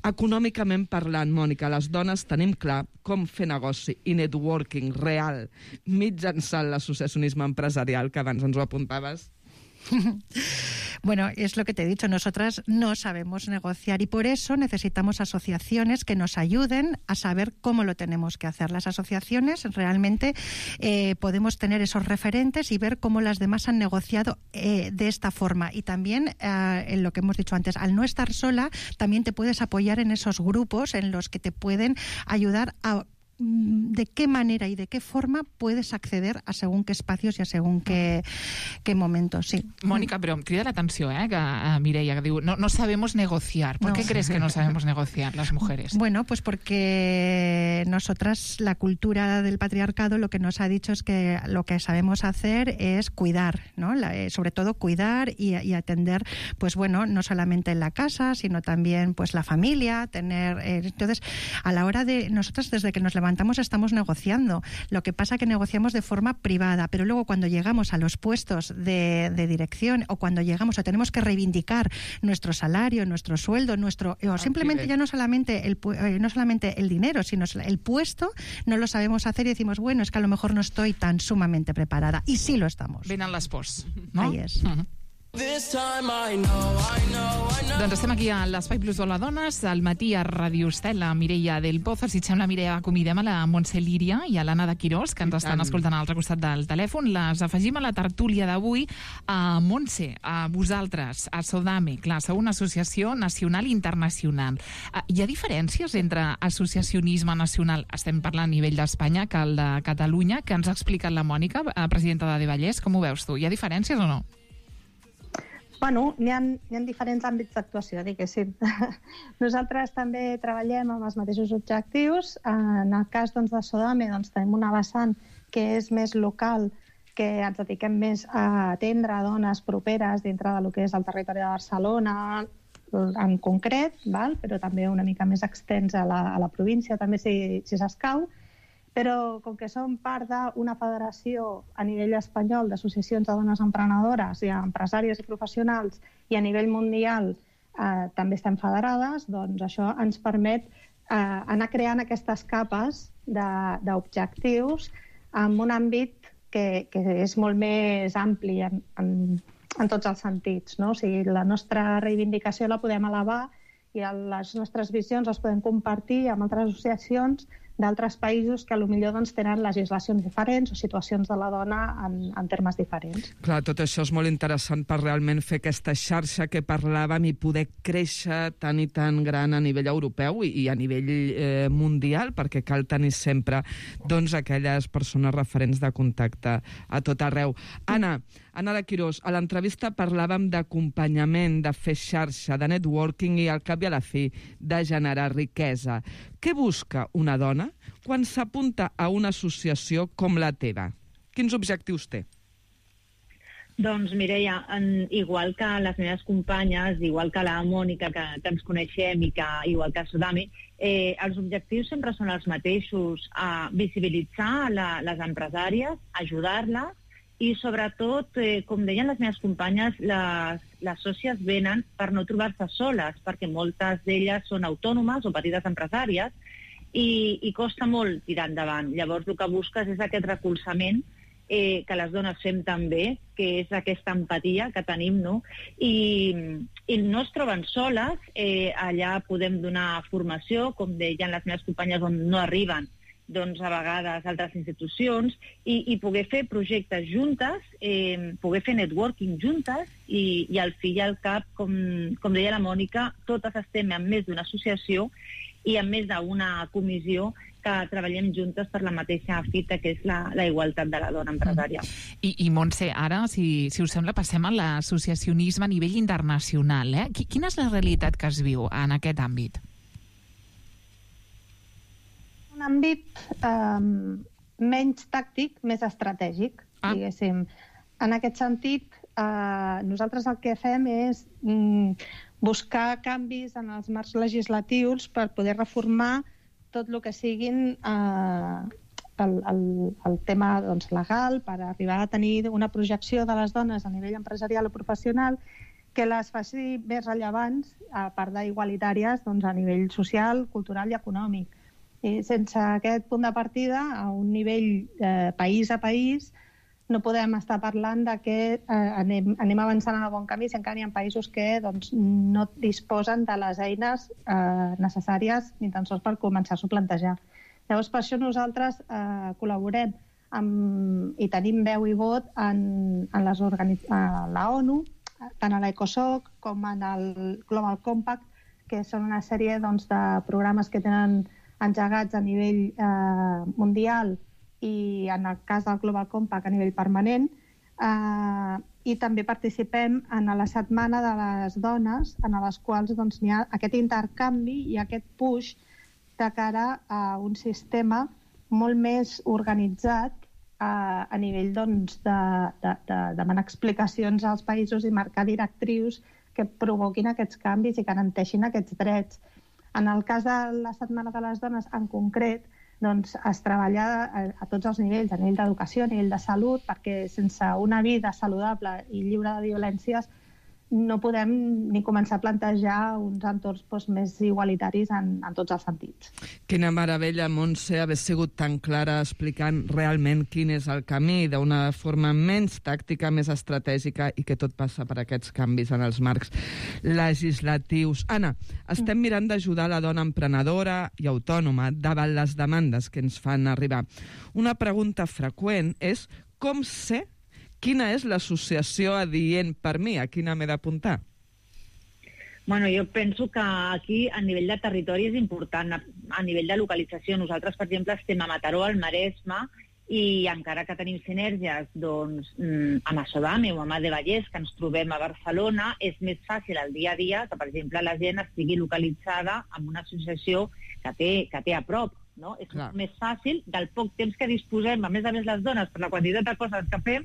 Econòmicament parlant, Mònica, les dones tenim clar com fer negoci i networking real mitjançant l'associacionisme empresarial, que abans ens ho apuntaves. Bueno, es lo que te he dicho, nosotras no sabemos negociar, y por eso necesitamos asociaciones que nos ayuden a saber cómo lo tenemos que hacer. Las asociaciones realmente eh, podemos tener esos referentes y ver cómo las demás han negociado eh, de esta forma. Y también, eh, en lo que hemos dicho antes, al no estar sola, también te puedes apoyar en esos grupos en los que te pueden ayudar a de qué manera y de qué forma puedes acceder a según qué espacios y a según qué, qué momentos, sí. Mónica, pero crida la atención, ¿eh? Que a Mireia, que digo, no, no sabemos negociar. ¿Por no. qué crees que no sabemos negociar las mujeres? Bueno, pues porque nosotras, la cultura del patriarcado, lo que nos ha dicho es que lo que sabemos hacer es cuidar, ¿no? La, eh, sobre todo cuidar y, y atender, pues bueno, no solamente en la casa, sino también pues la familia, tener... Eh, entonces, a la hora de... Nosotras, desde que nos levantamos estamos negociando. Lo que pasa que negociamos de forma privada, pero luego cuando llegamos a los puestos de, de dirección, o cuando llegamos o tenemos que reivindicar nuestro salario, nuestro sueldo, nuestro o simplemente ya no solamente el eh, no solamente el dinero, sino el puesto, no lo sabemos hacer y decimos, bueno, es que a lo mejor no estoy tan sumamente preparada. Y sí lo estamos. Venen les pors, no? Ahí és. Uh-huh. Doncs estem aquí a l'Espai Plus de les Dones, al matí a Radio Estela, Mireia del Pozo. Si et sembla, Mireia, acomidem a la Montse Líria i a l'Anna de Quirós, que ens estan escoltant a l'altre costat del telèfon. Les afegim a la tertúlia d'avui. A Montse, a vosaltres, a Sodame, clar, sou una associació nacional i internacional. Hi ha diferències entre associacionisme nacional, estem parlant a nivell d'Espanya, que el de Catalunya, que ens ha explicat la Mònica, presidenta de Vallès. Com ho veus tu? Hi ha diferències o no? Bueno, n'hi ha, hi ha diferents àmbits d'actuació, diguéssim. Nosaltres també treballem amb els mateixos objectius. En el cas doncs, de Sodame doncs, tenim una vessant que és més local, que ens dediquem més a atendre dones properes dintre del que és el territori de Barcelona en concret, val? Però també una mica més extens a la, a la província, també si, si s'escau. Però com que som part d'una federació a nivell espanyol d'associacions de dones emprenedores i empresàries i professionals, i a nivell mundial eh, també estem federades, doncs això ens permet eh, anar creant aquestes capes d'objectius en un àmbit que, que és molt més ampli en, en, en tots els sentits, no? O sigui, la nostra reivindicació la podem elevar i les nostres visions les podem compartir amb altres associacions d'altres països que potser doncs, tenen legislacions diferents o situacions de la dona en, en termes diferents. Clar, tot això és molt interessant per realment fer aquesta xarxa que parlàvem i poder créixer tan i tan gran a nivell europeu i, i a nivell eh, mundial, perquè cal tenir sempre doncs, aquelles persones referents de contacte a tot arreu. Anna, Anara Quirós, a l'entrevista parlàvem d'acompanyament, de fer xarxa, de networking i al cap i a la fi de generar riquesa. Què busca una dona quan s'apunta a una associació com la teva? Quins objectius té? Doncs, Mireia, en, igual que les meves companyes, igual que la Mònica, que, que ens coneixem, i que, igual que Sodami, eh, els objectius sempre són els mateixos, a visibilitzar la, les empresàries, ajudar-les, i sobretot, eh, com deien les meves companyes, les, les sòcies venen per no trobar-se soles, perquè moltes d'elles són autònomes o petites empresàries, i, i costa molt tirar endavant. Llavors, el que busques és aquest recolzament Eh, que les dones fem també, que és aquesta empatia que tenim, no? I, i no es troben soles, eh, allà podem donar formació, com deien les meves companyes, on no arriben, doncs a vegades altres institucions, i, i poder fer projectes juntes, eh, poder fer networking juntes, i, i al fi i al cap, com, com deia la Mònica, totes estem en més d'una associació i en més d'una comissió que treballem juntes per la mateixa fita, que és la, la igualtat de la dona empresària. I, i Montse, ara, si, si us sembla, passem a l'associacionisme a nivell internacional. Eh? Quina és la realitat que es viu en aquest àmbit? Un àmbit eh, menys tàctic, més estratègic, ah. diguéssim. En aquest sentit, eh, nosaltres el que fem és mm, buscar canvis en els marcs legislatius per poder reformar tot el que siguin eh, el, el, el tema doncs, legal, per arribar a tenir una projecció de les dones a nivell empresarial o professional que les faci més rellevants, a part d'igualitàries, doncs, a nivell social, cultural i econòmic. I sense aquest punt de partida, a un nivell eh, país a país, no podem estar parlant de que eh, anem, anem avançant en el bon camí si encara hi ha països que doncs, no disposen de les eines eh, necessàries ni tan sols per començar-s'ho a plantejar. Llavors, per això nosaltres eh, col·laborem amb, i tenim veu i vot en, en les organi- a la ONU, tant a l'ECOSOC com en el Global Compact, que són una sèrie doncs, de programes que tenen engegats a nivell eh, mundial i en el cas del Global Compact a nivell permanent, eh, i també participem en la setmana de les dones, en les quals doncs, hi ha aquest intercanvi i aquest push de cara a un sistema molt més organitzat eh, a nivell doncs, de, de, de demanar explicacions als països i marcar directrius que provoquin aquests canvis i garanteixin aquests drets. En el cas de la Setmana de les Dones en concret, doncs es treballa a, a tots els nivells, a nivell d'educació, a nivell de salut, perquè sense una vida saludable i lliure de violències no podem ni començar a plantejar uns entorns doncs, més igualitaris en, en tots els sentits. Quina meravella, Montse, haver sigut tan clara explicant realment quin és el camí d'una forma menys tàctica, més estratègica i que tot passa per aquests canvis en els marcs legislatius. Anna, estem mirant d'ajudar la dona emprenedora i autònoma davant les demandes que ens fan arribar. Una pregunta freqüent és com sé quina és l'associació adient per mi? A quina m'he d'apuntar? Bueno, jo penso que aquí, a nivell de territori, és important. A, a nivell de localització, nosaltres, per exemple, estem a Mataró, al Maresme, i encara que tenim sinergies doncs, a Massodame o a Mà de Vallès, que ens trobem a Barcelona, és més fàcil el dia a dia que, per exemple, la gent estigui localitzada en una associació que té, que té a prop. No? És Clar. Més fàcil, del poc temps que disposem, a més a més les dones, per la quantitat de coses que fem,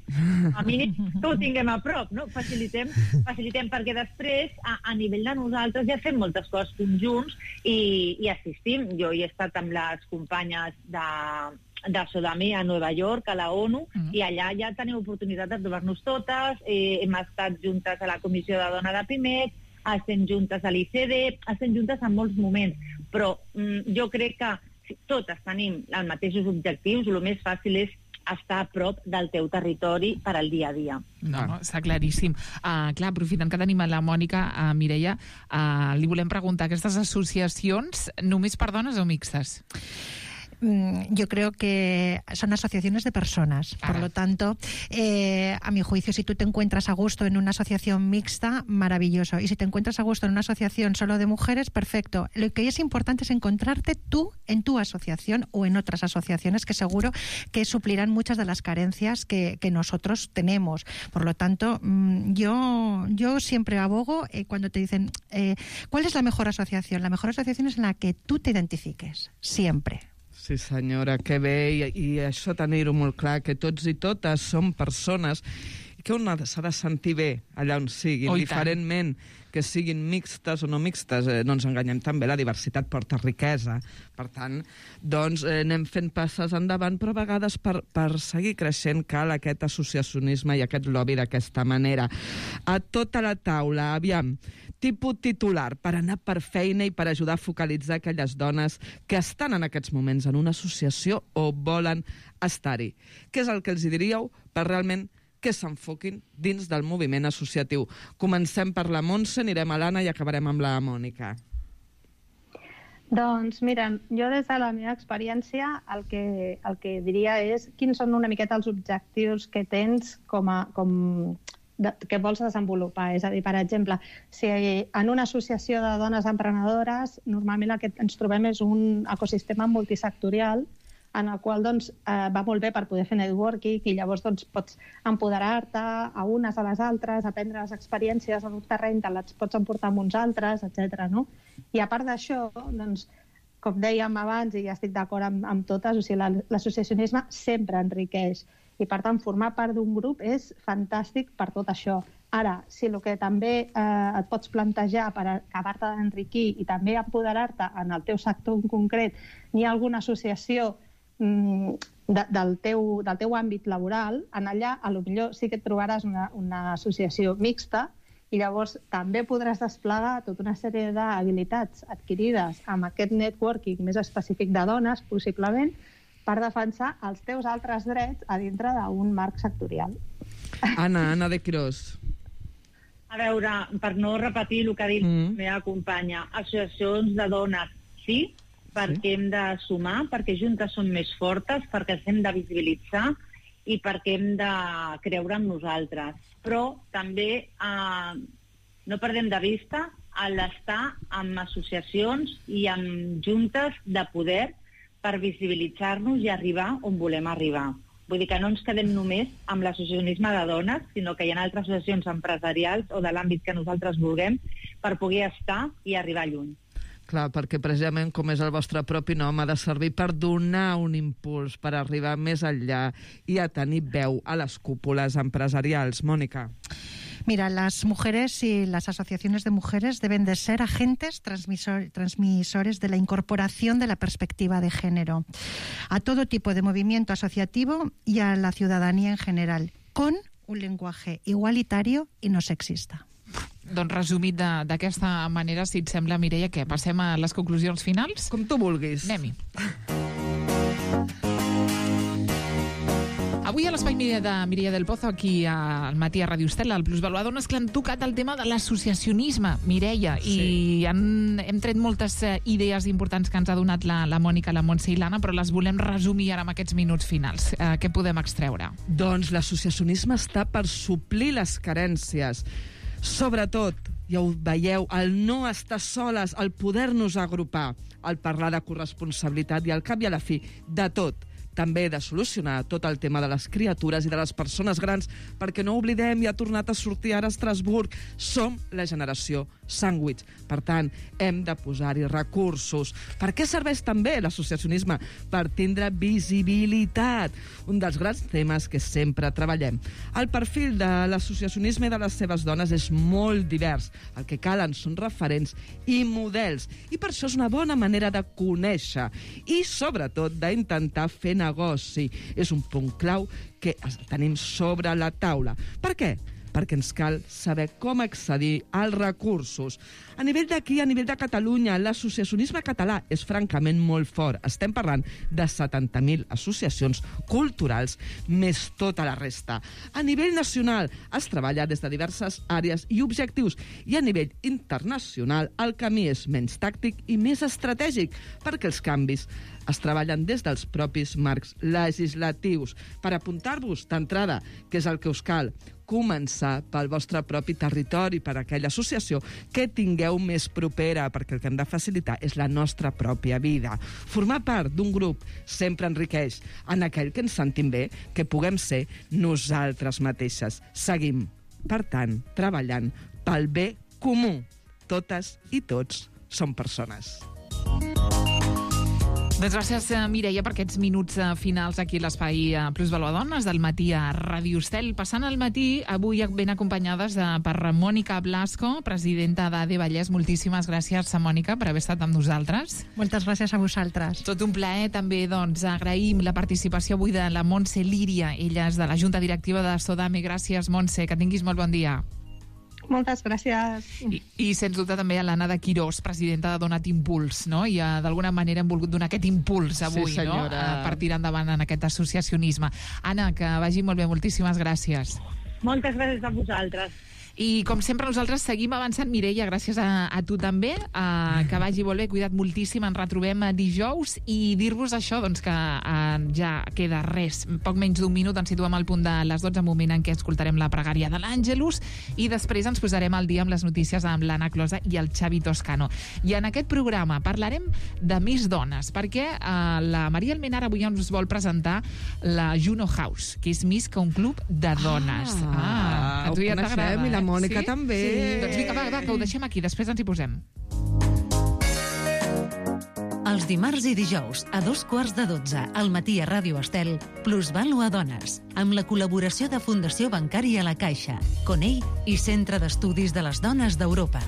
a mínim que ho tinguem a prop, no? Facilitem, facilitem perquè després, a, a nivell de nosaltres, ja fem moltes coses conjunts i, i assistim. Jo hi he estat amb les companyes de, de Sodami a Nova York, a la ONU, mm. i allà ja tenim oportunitat de trobar-nos totes, eh, hem estat juntes a la Comissió de Dona de Pimec, estem juntes a l'I C D, estem juntes en molts moments, però mm, jo crec que si totes tenim els mateixos objectius, el més fàcil és estar a prop del teu territori per al dia a dia. No, no, està claríssim. Uh, clar, aprofitant que tenim a la Mònica, uh, Mireia, uh, li volem preguntar, aquestes associacions només per dones o mixtes? yo creo que son asociaciones de personas. Por lo tanto, eh, a mi juicio, si tú te encuentras a gusto en una asociación mixta, maravilloso. Y si te encuentras a gusto en una asociación solo de mujeres, perfecto. Lo que es importante es encontrarte tú en tu asociación o en otras asociaciones que seguro que suplirán muchas de las carencias que, que nosotros tenemos. Por lo tanto, yo, yo siempre abogo eh, cuando te dicen eh, ¿cuál es la mejor asociación? La mejor asociación es en la que tú te identifiques, siempre. Sí, senyora, que bé, i, i això tenir-ho molt clar, que tots i totes som persones que un s'ha de sentir bé allà on siguin, oh, diferentment que siguin mixtes o no mixtes, eh, no ens enganyem també, la diversitat porta riquesa. Per tant, doncs eh, anem fent passes endavant, però a vegades per, per seguir creixent cal aquest associacionisme i aquest lobby d'aquesta manera. A tota la taula, aviam, tipus titular per anar per feina i per ajudar a focalitzar aquelles dones que estan en aquests moments en una associació o volen estar-hi. Què és el que els diríeu per realment que s'enfoquin dins del moviment associatiu? Comencem per la Montse, anirem a l'Anna i acabarem amb la Mònica. Doncs mira, jo des de la meva experiència el que, el que diria és quins són una miqueta els objectius que tens com a... Com de, que vols desenvolupar. És a dir, per exemple, si en una associació de dones emprenedores normalment el que ens trobem és un ecosistema multisectorial en el qual doncs, eh, va molt bé per poder fer networking i llavors doncs, pots empoderar-te a unes a les altres, aprendre les experiències en un terreny, te les pots emportar amb uns altres, etcètera. No? I a part d'això, doncs, com dèiem abans, i ja estic d'acord amb, amb totes, o sigui, l'associacionisme sempre enriqueix. I, per tant, formar part d'un grup és fantàstic per tot això. Ara, si el que també eh, et pots plantejar per acabar-te d'enriquir i també empoderar-te en el teu sector en concret, n'hi ha alguna associació mm, de, del, teu, del teu àmbit laboral, en allà potser sí que et trobaràs una, una associació mixta i llavors també podràs desplegar tota una sèrie d'habilitats adquirides amb aquest networking més específic de dones, possiblement, per defensar els teus altres drets a dintre d'un marc sectorial. Anna, Anna de Quirós. A veure, per no repetir el que ha dit mm. la meva companya, associacions de dones sí, perquè sí. hem de sumar, perquè juntes som més fortes, perquè ens hem de visibilitzar i perquè hem de creure en nosaltres. Però també eh, no perdem de vista l'estar en associacions i en juntes de poder per visibilitzar-nos i arribar on volem arribar. Vull dir que no ens quedem només amb l'associacionisme de dones, sinó que hi ha altres associacions empresarials o de l'àmbit que nosaltres vulguem per poder estar i arribar lluny. Clar, perquè precisament, com és el vostre propi nom, ha de servir per donar un impuls, per arribar més enllà i a tenir veu a les cúpules empresarials. Mònica. Mira, las mujeres y las asociaciones de mujeres deben de ser agentes transmisor, transmisores de la incorporación de la perspectiva de género a todo tipo de movimiento asociativo y a la ciudadanía en general, con un lenguaje igualitario y no sexista. Doncs resumit d'aquesta manera, si et sembla, Mireia, que passem a les conclusions finals? Com tu vulguis. Anem-hi. Avui a l'Espai de Mireia del Pozo, aquí al matí a Ràdio Estela, al Plusvalua Dones, que han tocat el tema de l'associacionisme, Mireia, sí. i han, hem tret moltes idees importants que ens ha donat la, la Mònica, la Montse i l'Anna, però les volem resumir ara en aquests minuts finals. Eh, què podem extreure? Doncs l'associacionisme està per suplir les carències. Sobretot, ja ho veieu, el no estar soles, el poder-nos agrupar, el parlar de corresponsabilitat i al cap i a la fi, de tot. També de solucionar tot el tema de les criatures i de les persones grans, perquè no oblidem, i ha tornat a sortir ara a Estrasburg, som la generació sàndwich. Per tant, hem de posar-hi recursos. Per què serveix també l'associacionisme? Per tindre visibilitat. Un dels grans temes que sempre treballem. El perfil de l'associacionisme i de les seves dones és molt divers. El que calen són referents i models. I per això és una bona manera de conèixer i, sobretot, d'intentar fer negoci. És un punt clau que tenim sobre la taula. Per què? perquè ens cal saber com accedir als recursos. A nivell d'aquí, a nivell de Catalunya, l'associacionisme català és francament molt fort. Estem parlant de setanta mil associacions culturals, més tota la resta. A nivell nacional es treballa des de diverses àrees i objectius, i a nivell internacional el camí és menys tàctic i més estratègic, perquè els canvis es treballen des dels propis marcs legislatius. Per apuntar-vos d'entrada, què és el que us cal? Començar pel vostre propi territori, per aquella associació que tingueu més propera, perquè el que hem de facilitar és la nostra pròpia vida. Formar part d'un grup sempre enriqueix en aquell que ens sentim bé, que puguem ser nosaltres mateixes. Seguim, per tant, treballant pel bé comú. Totes i tots som persones. Doncs gràcies, Mireia, per aquests minuts finals aquí a l'espai Plusvalor Dones del matí a Ràdio Estel. Passant al matí, avui ben acompanyades de, per Mònica Blasco, presidenta d'A D E Vallès. Moltíssimes gràcies, Mònica, per haver estat amb nosaltres. Moltes gràcies a vosaltres. Tot un plaer. També doncs, agraïm la participació avui de la Montse Líria. Ella és de la Junta Directiva de Sodame. Gràcies, Montse. Que tinguis molt bon dia. Moltes gràcies. I, i sens dubte també a l'Anna de Quirós, presidenta de Donat Impuls, no? I uh, d'alguna manera hem volgut donar aquest impuls avui, sí, no? Uh, per tirar endavant en aquest associacionisme. Anna, que vagi molt bé, moltíssimes gràcies. Moltes gràcies a vosaltres. I com sempre nosaltres seguim avançant. Mireia, gràcies a, a tu també, uh, que vagi molt bé, cuida't moltíssim, ens retrobem dijous, i dir-vos això, doncs que uh, ja queda res, poc menys d'un minut, ens situem al punt de les dotze, moment en què escoltarem la pregària de l'Àngelus, i després ens posarem al dia amb les notícies amb l'Anna Closa i el Xavi Toscano. I en aquest programa parlarem de més dones, perquè uh, la Maria Almenar avui ens vol presentar la Juno House, que és més que un club de dones. Ah, ah a tu ja t'agrada, eh? Mònica sí? també. Sí. Doncs vinga, va, va, que ho deixem aquí, després ens hi posem. Els dimarts i dijous, a dos quarts de dotze, al matí a Ràdio Estel, Plusvalor Dones, amb la col·laboració de Fundació Bancària La Caixa, Conell i Centre d'Estudis de les Dones d'Europa.